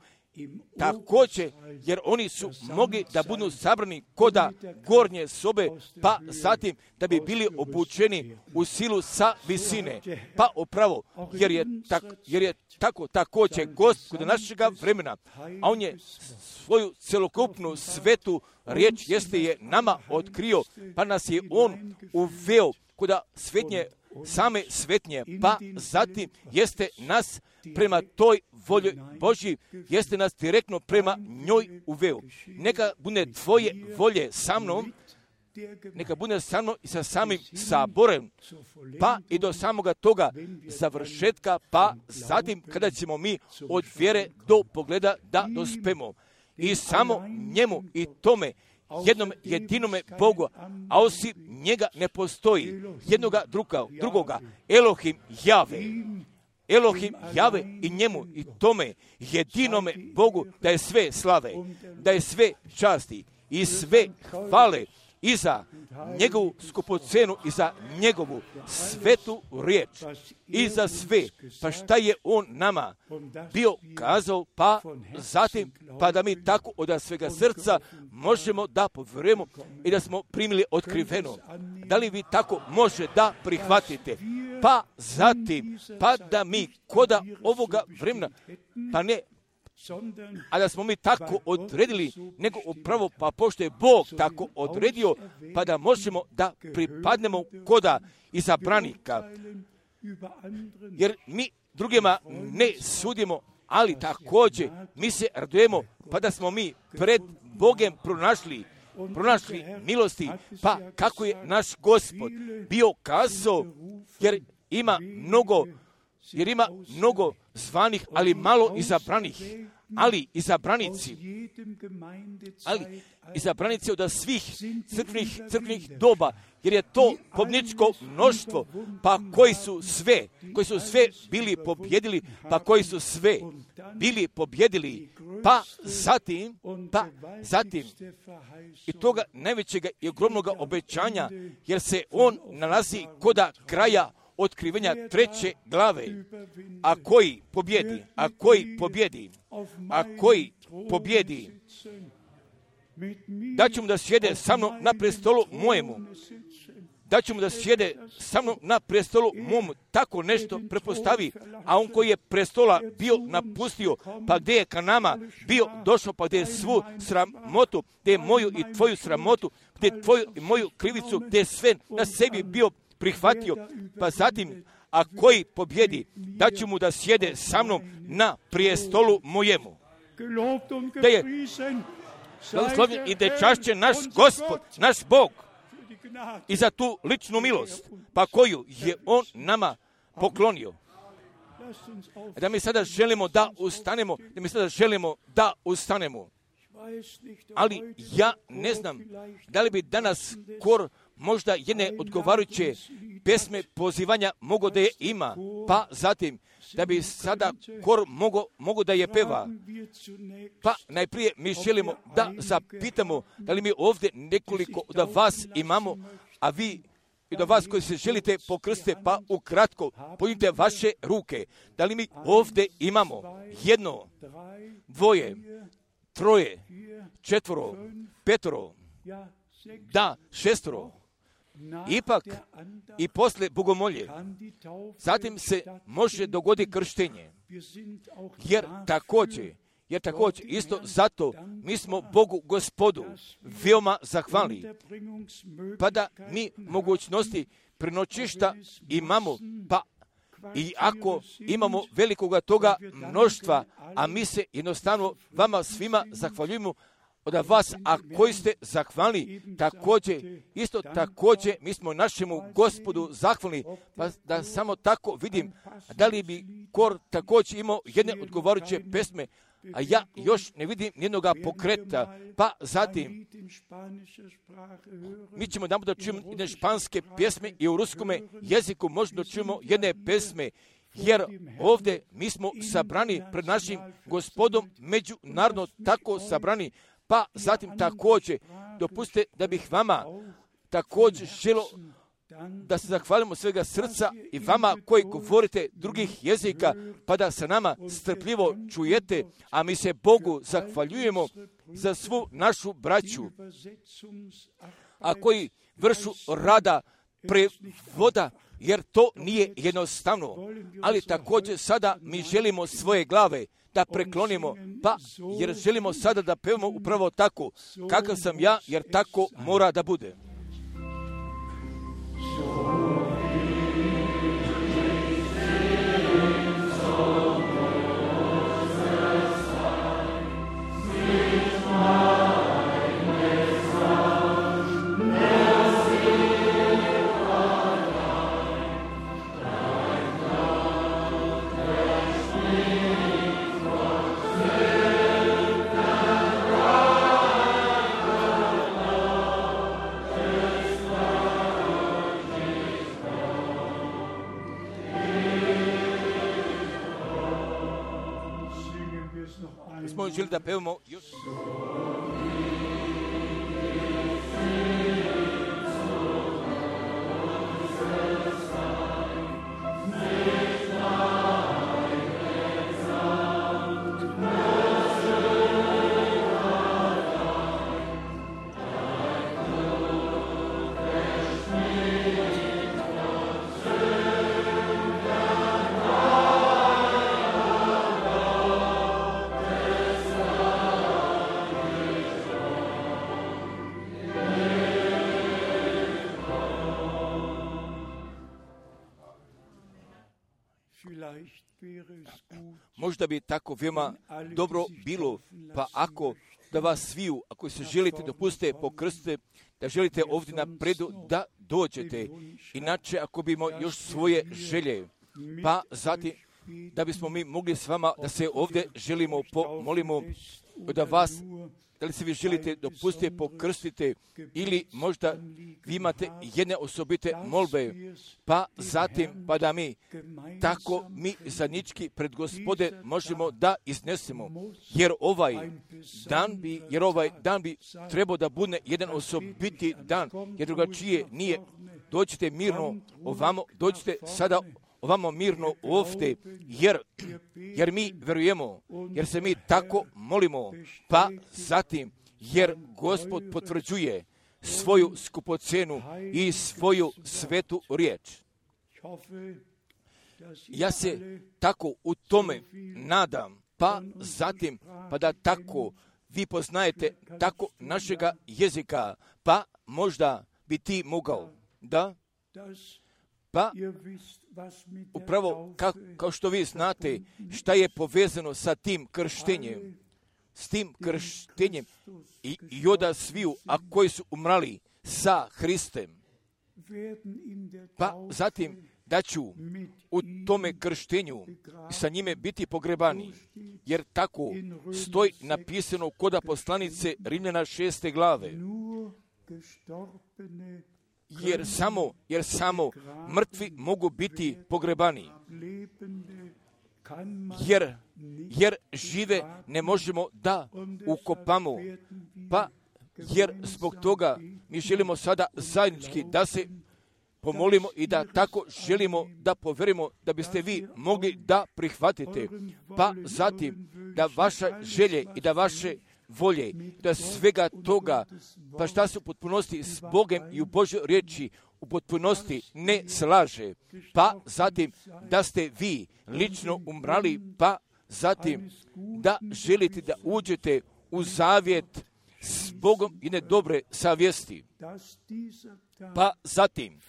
također, jer oni su mogli da budu sabrani koda gornje sobe, pa zatim da bi bili obučeni u silu sa visine. Pa upravo, jer je, tak, jer je tako također Gost kod našega vremena, a on je svoju celokupnu svetu riječ jeste je nama otkrio, pa nas je on uveo koda svetnje, same svetnje, pa zatim jeste nas prema toj volji Božji, jeste nas direktno prema njoj uveo. Neka bude tvoje volje sa mnom, neka bude sa mnom i sa samim saborem, pa i do samoga toga završetka, pa zatim kada ćemo mi od vjere do pogleda da dospemo. I samo njemu i tome jednom jedinome Bogu, a osim njega ne postoji jednoga druga, drugoga, Elohim Jave. Elohim Jave i njemu i tome jedinome Bogu da je sve slave, da je sve časti i sve hvale i za njegovu skupocenu i za njegovu svetu riječ i za sve, pa šta je on nama bio kazao, pa zatim, pa da mi tako od svega srca možemo da povjerujemo i da smo primili otkriveno. Da li vi tako može da prihvatite? Pa zatim, pa da mi koda ovoga vremena, pa ne, a da smo mi tako odredili, nego upravo pa pošto je Bog tako odredio, pa da možemo da pripadnemo koda izabranika. Jer mi drugima ne sudimo, ali također mi se radujemo, pa da smo mi pred Bogem pronašli, pronašli milosti, pa kako je naš Gospod bio kazao, jer ima mnogo, jer ima mnogo zvanih, ali malo izabranih. Ali izabranici, ali izabranici od svih crkvenih, crkvenih doba, jer je to pobjedničko mnoštvo, pa koji su sve, koji su sve bili pobjedili, pa koji su sve bili pobjedili, pa zatim, pa zatim, i toga najvećega i ogromnoga obećanja, jer se on nalazi koda kraja otkrivenja treće glave, a koji pobjedi, a koji pobjedi, a koji pobjedi, da ću mu da sjede sa mnom na prestolu mojemu, da ću mu da sjede sa mnom na prestolu mom, tako nešto prepostavi, a on koji je prestola bio napustio, pa gdje je ka nama bio došao, pa gdje je svu sramotu, gdje je moju i tvoju sramotu, gdje je tvoju i moju krivicu, gdje je sve na sebi bio prihvatio, pa zatim, a koji pobjedi, da ću mu da sjede sa mnom na prijestolu mojemu. Da je blagoslovljen i da je čašćen naš Gospod, naš Bog, i za tu ličnu milost, pa koju je on nama poklonio. Da mi sada želimo da ustanemo, da mi sada želimo da ustanemo. Ali ja ne znam da li bi danas kor možda jedne odgovarajuće pesme pozivanja mogo da je ima, pa zatim da bi sada kor mogo, mogo da je peva. Pa najprije mi želimo da zapitamo da li mi ovdje nekoliko od vas imamo, a vi i do vas koji se želite pokrstiti, pa ukratko podignite vaše ruke. Da li mi ovdje imamo jedno, dvoje, troje, četvoro, petoro, da, šestoro, ipak i posle bogomolje, zatim se može dogoditi krštenje, jer također, jer također isto zato mi smo Bogu Gospodu veoma zahvalni, pa da mi mogućnosti prenoćišta imamo, pa i ako imamo velikoga toga mnoštva, a mi se jednostavno vama svima zahvaljujemo od vas, a koji ste zahvalni, također, isto također, mi smo našemu Gospodu zahvalni, pa da samo tako vidim, da li bi kor također imao jedne odgovarajuće pesme, a ja još ne vidim nijednoga pokreta, pa zatim mi ćemo da da čujemo jedne španske pjesme i u ruskome jeziku možda čujemo jedne pesme, jer ovdje mi smo sabrani pred našim Gospodom, međunarodno tako sabrani, pa zatim također dopustite da bih vama također želo da se zahvalimo svega srca i vama koji govorite drugih jezika, pa da sa nama strpljivo čujete, a mi se Bogu zahvaljujemo za svu našu braću, a koji vršu rada prevoda, jer to nije jednostavno, ali također sada mi želimo svoje glave da preklonimo, pa jer želimo sada da pevamo upravo tako, kakav sam ja, jer tako mora da bude. smo želi da pevamo još. Možda bi tako veoma dobro bilo, pa ako da vas sviju, ako se želite dopustite pokrstite, da želite ovdje napredu da dođete. Inače, ako bimo još svoje želje, pa zatim da bismo mi mogli s vama da se ovdje želimo pomolimo da vas, da li se vi želite dopustite pokrstite ili možda vi imate jedne osobite molbe, pa zatim pa da mi tako mi zajednički pred Gospode možemo da iznesemo, jer ovaj dan bi, jer ovaj dan bi trebao da bude jedan osobiti dan, jer drugačije nije. Dođite mirno ovamo, dođite sada ovamo mirno ovdje, jer, jer mi verujemo, jer se mi tako molimo, pa zatim, jer Gospod potvrđuje svoju skupocenu i svoju svetu riječ. Ja se tako u tome nadam, pa zatim, pa da tako vi poznajete tako našega jezika, pa možda bi ti mogao, da, pa upravo ka, kao što vi znate šta je povezano sa tim krštenjem, s tim krštenjem i, i oda sviju, a koji su umrali sa Hristem, pa zatim da ću u tome krštenju sa njime biti pogrebani, jer tako stoji napisano kod poslanice Rimljana šeste glave. Jer samo, jer samo mrtvi mogu biti pogrebani. Jer, jer žive ne možemo da ukopamo. Pa, jer zbog toga mi želimo sada zajednički da se pomolimo i da tako želimo da poverimo da biste vi mogli da prihvatite. Pa zatim da vaša želje i da vaše volje, da svega toga, pa šta se u potpunosti s Bogem i u Božoj riječi u potpunosti ne slaže, pa zatim da ste vi lično umrali, pa zatim da želite da uđete u zavjet s Bogom i ne dobre savjesti, pa zatim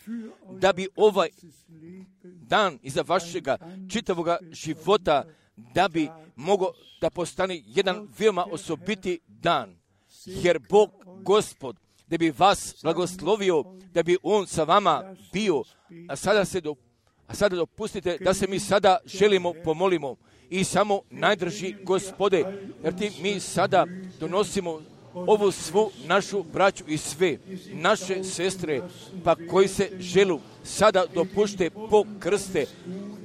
da bi ovaj dan iza vašega čitavoga života da bi mogao da postane jedan veoma osobiti dan, jer Bog, Gospod, da bi vas blagoslovio, da bi On sa vama bio, a sada se do, a sada dopustite da se mi sada želimo pomolimo i samo najdrži Gospode, jer ti mi sada donosimo ovu svu našu braću i sve naše sestre, pa koji se želu sada dopušte po krste,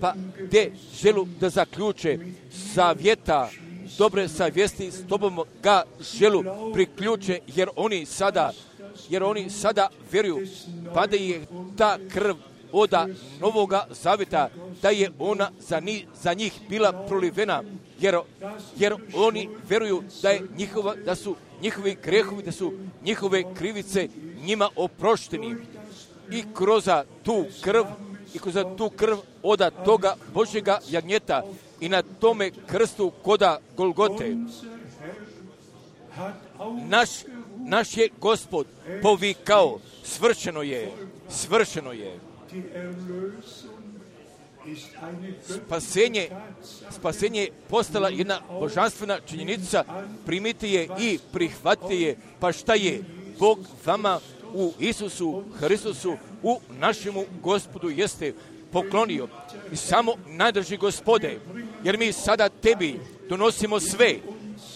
pa te želu da zaključe savjeta, dobre savjesti s tobom ga želu priključe, jer oni sada, jer oni sada vjeruju, pa da je ta krv oda novoga zavjeta, da je ona za, ni, za njih bila prolivena, jer, jer oni vjeruju da je njihova, da su njihovi grehovi, da su njihove krivice njima oprošteni. I kroz tu krv, i kroz tu krv oda toga Božjega jagnjeta i na tome krstu koda Golgote. Naš, naš je Gospod povikao, svršeno je, svršeno je. Spasenje, spasenje je postala jedna božanstvena činjenica, primite je i prihvatite je, pa šta je Bog vama u Isusu Hristusu, u našemu Gospodu jeste poklonio. I samo najdrži Gospode, jer mi sada tebi donosimo sve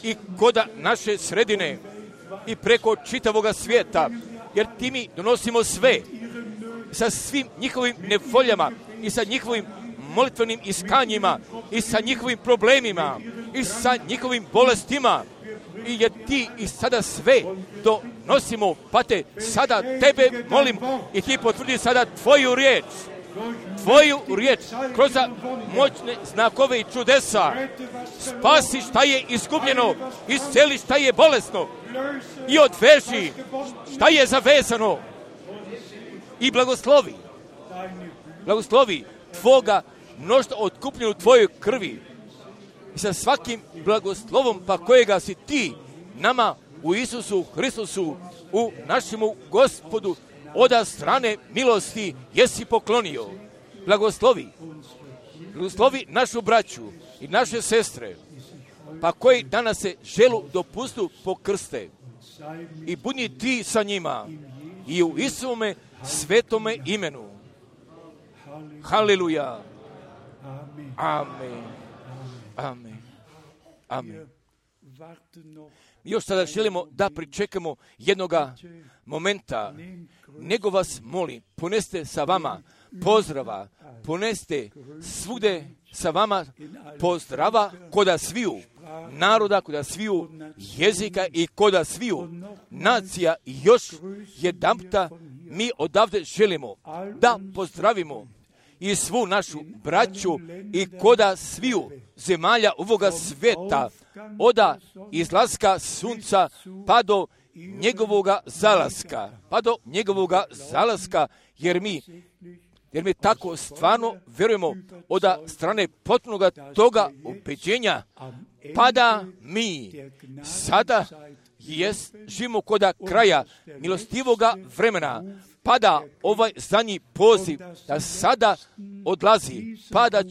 i koda naše sredine i preko čitavoga svijeta, jer ti mi donosimo sve sa svim njihovim nevoljama i sa njihovim molitvenim iskanjima i sa njihovim problemima i sa njihovim bolestima. I jer ti i sada sve donosimo, pa te sada tebe molim i ti potvrdi sada tvoju riječ. Tvoju riječ kroz moćne znakove i čudesa. Spasi šta je izgubljeno, isceli šta je bolesno i odveži šta je zavezano. I blagoslovi, blagoslovi tvoga mnoštva otkupljenu tvojoj krvi. I sa svakim blagoslovom pa kojega si ti nama u Isusu Hristusu, u našemu Gospodu, oda strane milosti jesi poklonio. Blagoslovi, blagoslovi našu braću i naše sestre, pa koji danas se želu dopustu pokrste. I budi ti sa njima i u Isuvome svetome imenu. Haleluja. Amen. Amen. Amen. Još sada želimo da pričekamo jednoga momenta, nego vas molim, poneste sa vama pozdrava, poneste svugde sa vama pozdrava koda sviju naroda, koda sviju jezika i koda sviju nacija. I još jedanputa mi odavde želimo da pozdravimo i svu našu braću i koda sviju zemalja ovoga sveta, oda izlaska sunca pa do njegovoga zalaska, pa do njegovoga zalaska, jer mi, jer mi tako stvarno vjerujemo od strane potpunoga toga ubeđenja, pa da mi sada jest, živimo koda kraja milostivoga vremena, pa da ovaj zadnji poziv da sada odlazi, pa da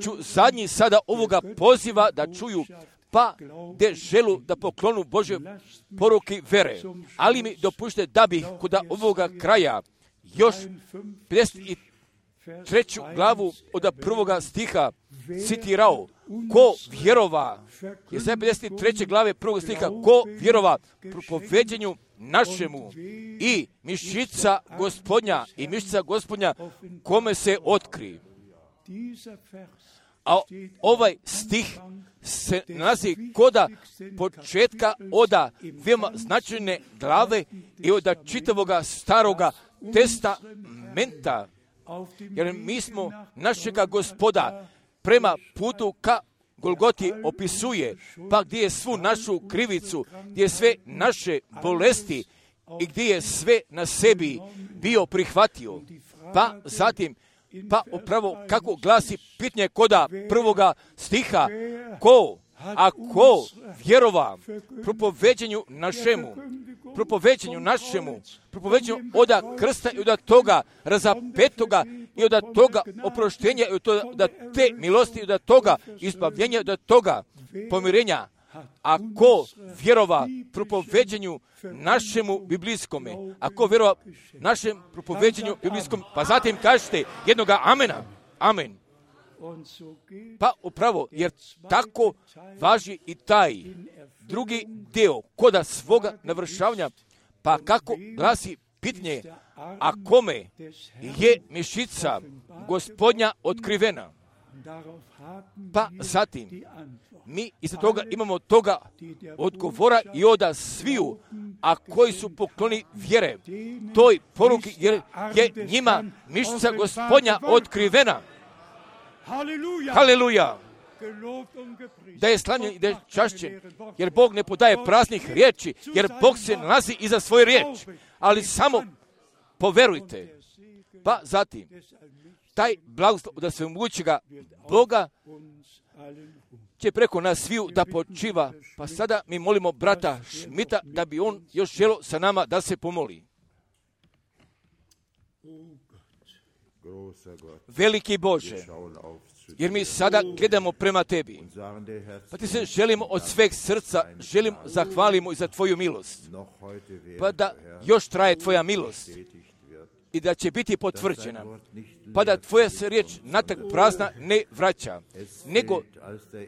ću zadnji sada ovoga poziva da čuju, pa de želu da poklonu Božje poruke vere. Ali mi dopušte da bih kod ovoga kraja još pedeset treću glavu od prvoga stiha citirao. Ko vjerova, je sve pedeset treće glave prvog stiha, ko vjerova propoveđenju našemu i mišica Gospodnja i mišica Gospodnja kome se otkri. A ovaj stih se nalazi koda početka oda veoma značajne glave i oda čitavoga staroga testamenta. Jer mi smo našega Gospoda prema putu ka Golgoti opisuje, pa gdje je svu našu krivicu, gdje je sve naše bolesti i gdje je sve na sebi bio prihvatio. Pa zatim, pa upravo kako glasi pitanje koda prvoga stiha, ko, a ko vjerova propoveđenju našemu, propoveđenju našemu, propoveđenju oda krsta i oda toga razapetoga i oda toga oproštenja i oda te milosti i oda toga izbavljenja i oda toga pomirenja. A ko vjerova propoveđenju našemu biblijskome, a ko vjerova našem propoveđenju biblijskom, pa zatim kažete jednoga amena, amen. Pa upravo, jer tako važi i taj drugi dio koda svoga navršavanja, pa kako glasi pitanje, a kome je mišica Gospodnja otkrivena. Pa zatim, mi iza toga imamo toga odgovora i oda sviju, a koji su pokloni vjere toj poruki, jer je njima mišica Gospodnja otkrivena. Haleluja! Da je slavljen i da je čašćen, jer Bog ne podaje praznih riječi, jer Bog se nalazi iza svoje riječi, ali samo poverujte. Pa zatim, taj blagoslov da svemogućega Boga će preko nas sviju da počiva. Pa sada mi molimo brata Šmita da bi on još želio sa nama da se pomoli. Veliki Bože, jer mi sada gledamo prema tebi, pa ti se želimo od sveg srca, želim zahvalimo i za tvoju milost, pa da još traje tvoja milost i da će biti potvrđena, pa da tvoja se riječ natrag prazna ne vraća, nego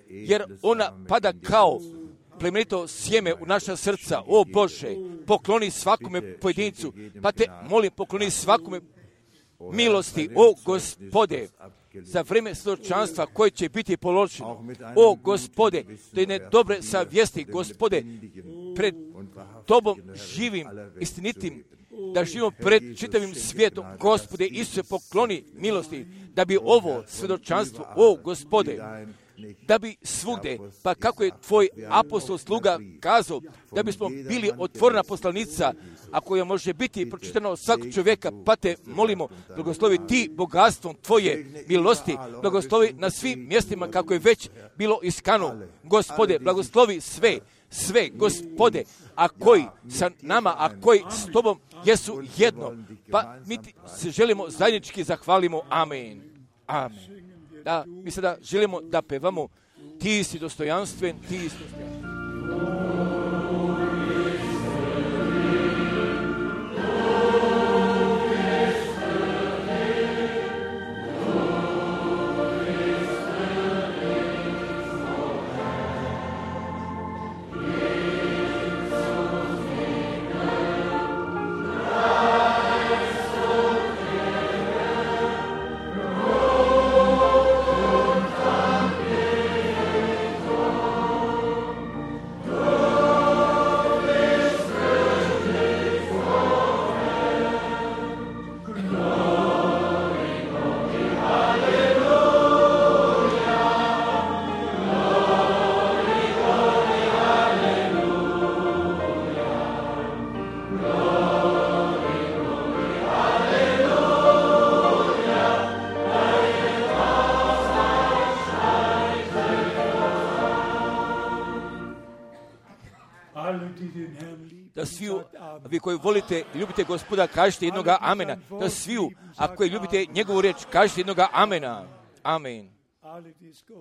jer ona pada kao plemenito sjeme u naša srca. O Bože, pokloni svakome pojedincu, pa te molim, pokloni svakome milosti, o Gospode, za vrijeme svjedočanstva koje će biti položeno. O Gospode, do jedne dobre savjesti, Gospode, pred Tobom živim, istinitim, da živimo pred čitavim svijetom. Gospode, Isuse, pokloni milosti, da bi ovo svjedočanstvo, o Gospode, da bi svugdje, pa kako je tvoj apostol sluga kazao, da bismo bili otvorena poslanica, a koja može biti pročitana od svakog čovjeka, pa te molimo, blagoslovi ti bogatstvom tvoje milosti, blagoslovi na svim mjestima kako je već bilo iskano. Gospode, blagoslovi sve, sve, Gospode, a koji sa nama, a koji s Tobom jesu jedno. Pa mi ti se želimo zajednički zahvalimo. Amen. Amen. Da, mi sada želimo da pevamo ti si dostojanstven, ti si dostojanstven. Da svi, vi koji volite, ljubite Gospoda, kažete jednoga amena. Da svi, a koji ljubite njegovu riječ, kažete jednoga amena. Amen.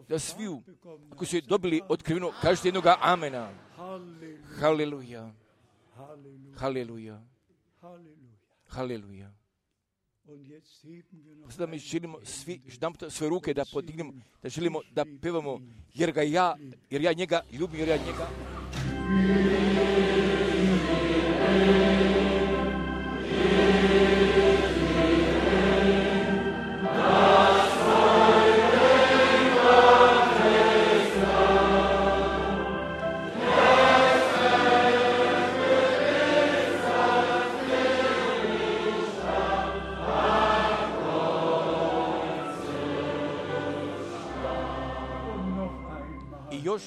Da svi, ako su dobili otkriveno, kažete jednoga amena. Haleluja. Haleluja. Haleluja. Sada mi želimo svi ždamputa svoje ruke da podignemo, da želimo da pevamo, jer ga ja, jer ja njega ljubim, jer ja njega. I još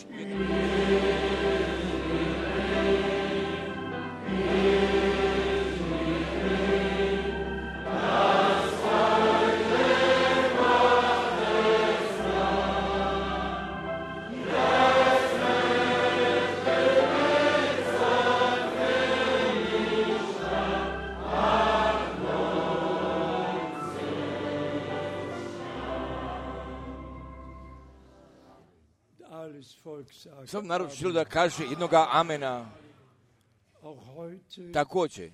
sam narod želi da kaže jednoga amena. Također,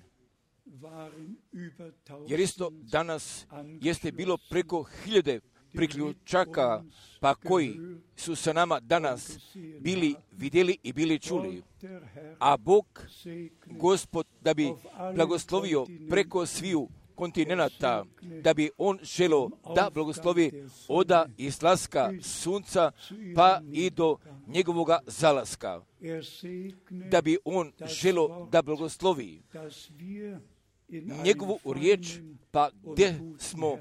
jer isto danas jeste bilo preko hiljade priključaka, pa koji su sa nama danas bili vidjeli i bili čuli. A Bog, Gospod, da bi blagoslovio preko sviju kontinenta, da bi on želo da blagoslovi oda izlaska sunca pa i do njegovoga zalaska, da bi on želo da blagoslovi njegovu riječ, pa gdje smo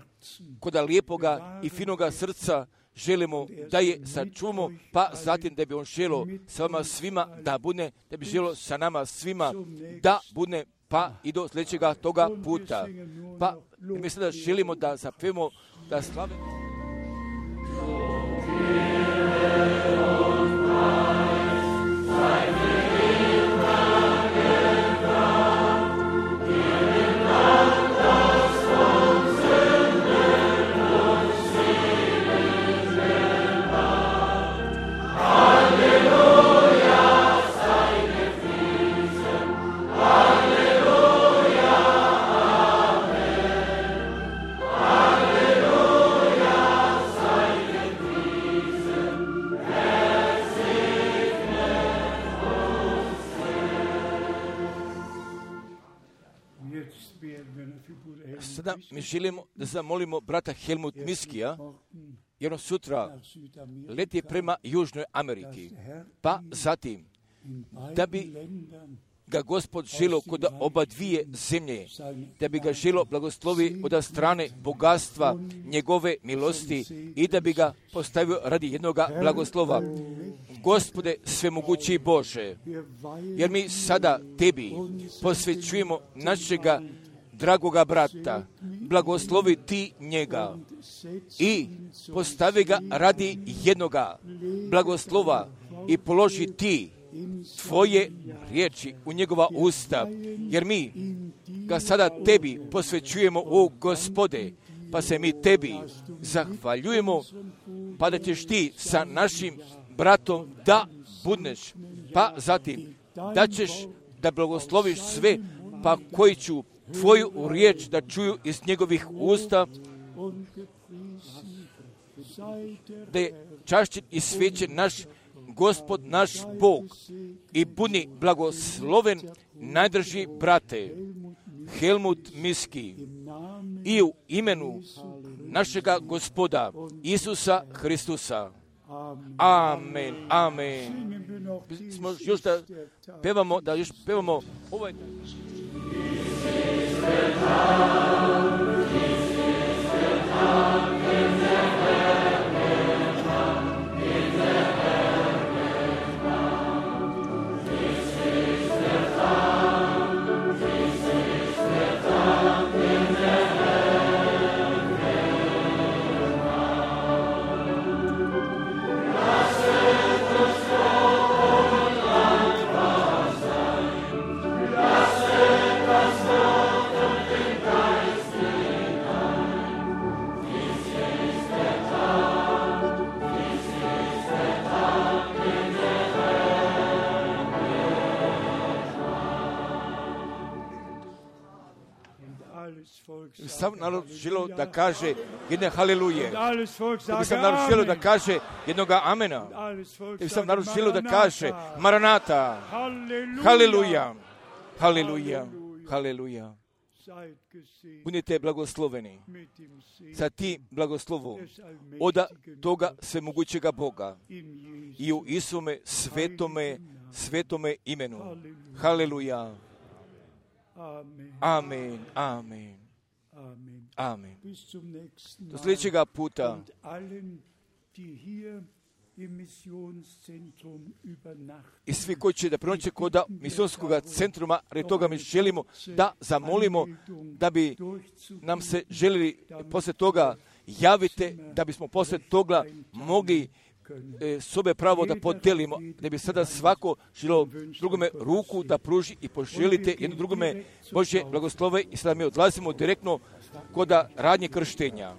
koda lijepoga i finoga srca želimo da je sačuvamo, pa zatim da bi on želo sa vama svima da bude, da bi želo sa nama svima da bude, pa i do sljedećega toga puta. Pa mi sada želimo da zapevamo, da slavimo. Sada mi želimo da zamolimo brata Helmut Miskija jedno sutra leti prema Južnoj Ameriki, pa zatim da bi ga Gospod želo kod oba dvije zemlje, da bi ga želo blagoslovi od strane bogatstva njegove milosti i da bi ga postavio radi jednoga blagoslova. Gospode svemogući Bože, jer mi sada tebi posvećujemo našega dragoga brata, blagoslovi ti njega i postavi ga radi jednoga blagoslova i položi ti tvoje riječi u njegova usta, jer mi ga sada tebi posvećujemo, o Gospode, pa se mi tebi zahvaljujemo, pa da ćeš ti sa našim bratom da budneš, pa zatim da ćeš da blagosloviš sve, pa koji ću tvoju riječ da čuju iz njegovih usta, da je čašćen i svećen naš Gospod, naš Bog, i budi blagosloven najdrži brate Helmut Miski i u imenu našega Gospoda Isusa Hristusa. Amen, amen. Smo još da pevamo, da još pevamo ovaj sam narod želo da kaže jedne haleluje. Da bi sam narod želo da kaže jednoga amena. Da bi sam narod želo da kaže Maranata. Haleluja. Haleluja. Haleluja. Budite blagosloveni sa ti blagoslovom od toga svemogućega Boga i u Isume svetome, svetome imenu. Haleluja. Amen. Amen. Amen. Do sljedećega puta i svi koji će da prenoće kod misijskog centruma, radi toga mi želimo da zamolimo da bi nam se želili posle toga javite, da bismo posle toga mogli e, sobe pravo da podelimo, da bi sada svako želio drugome ruku da pruži i poželite jedno drugome Božje blagoslove i sada mi odlazimo direktno kod radnje krštenja.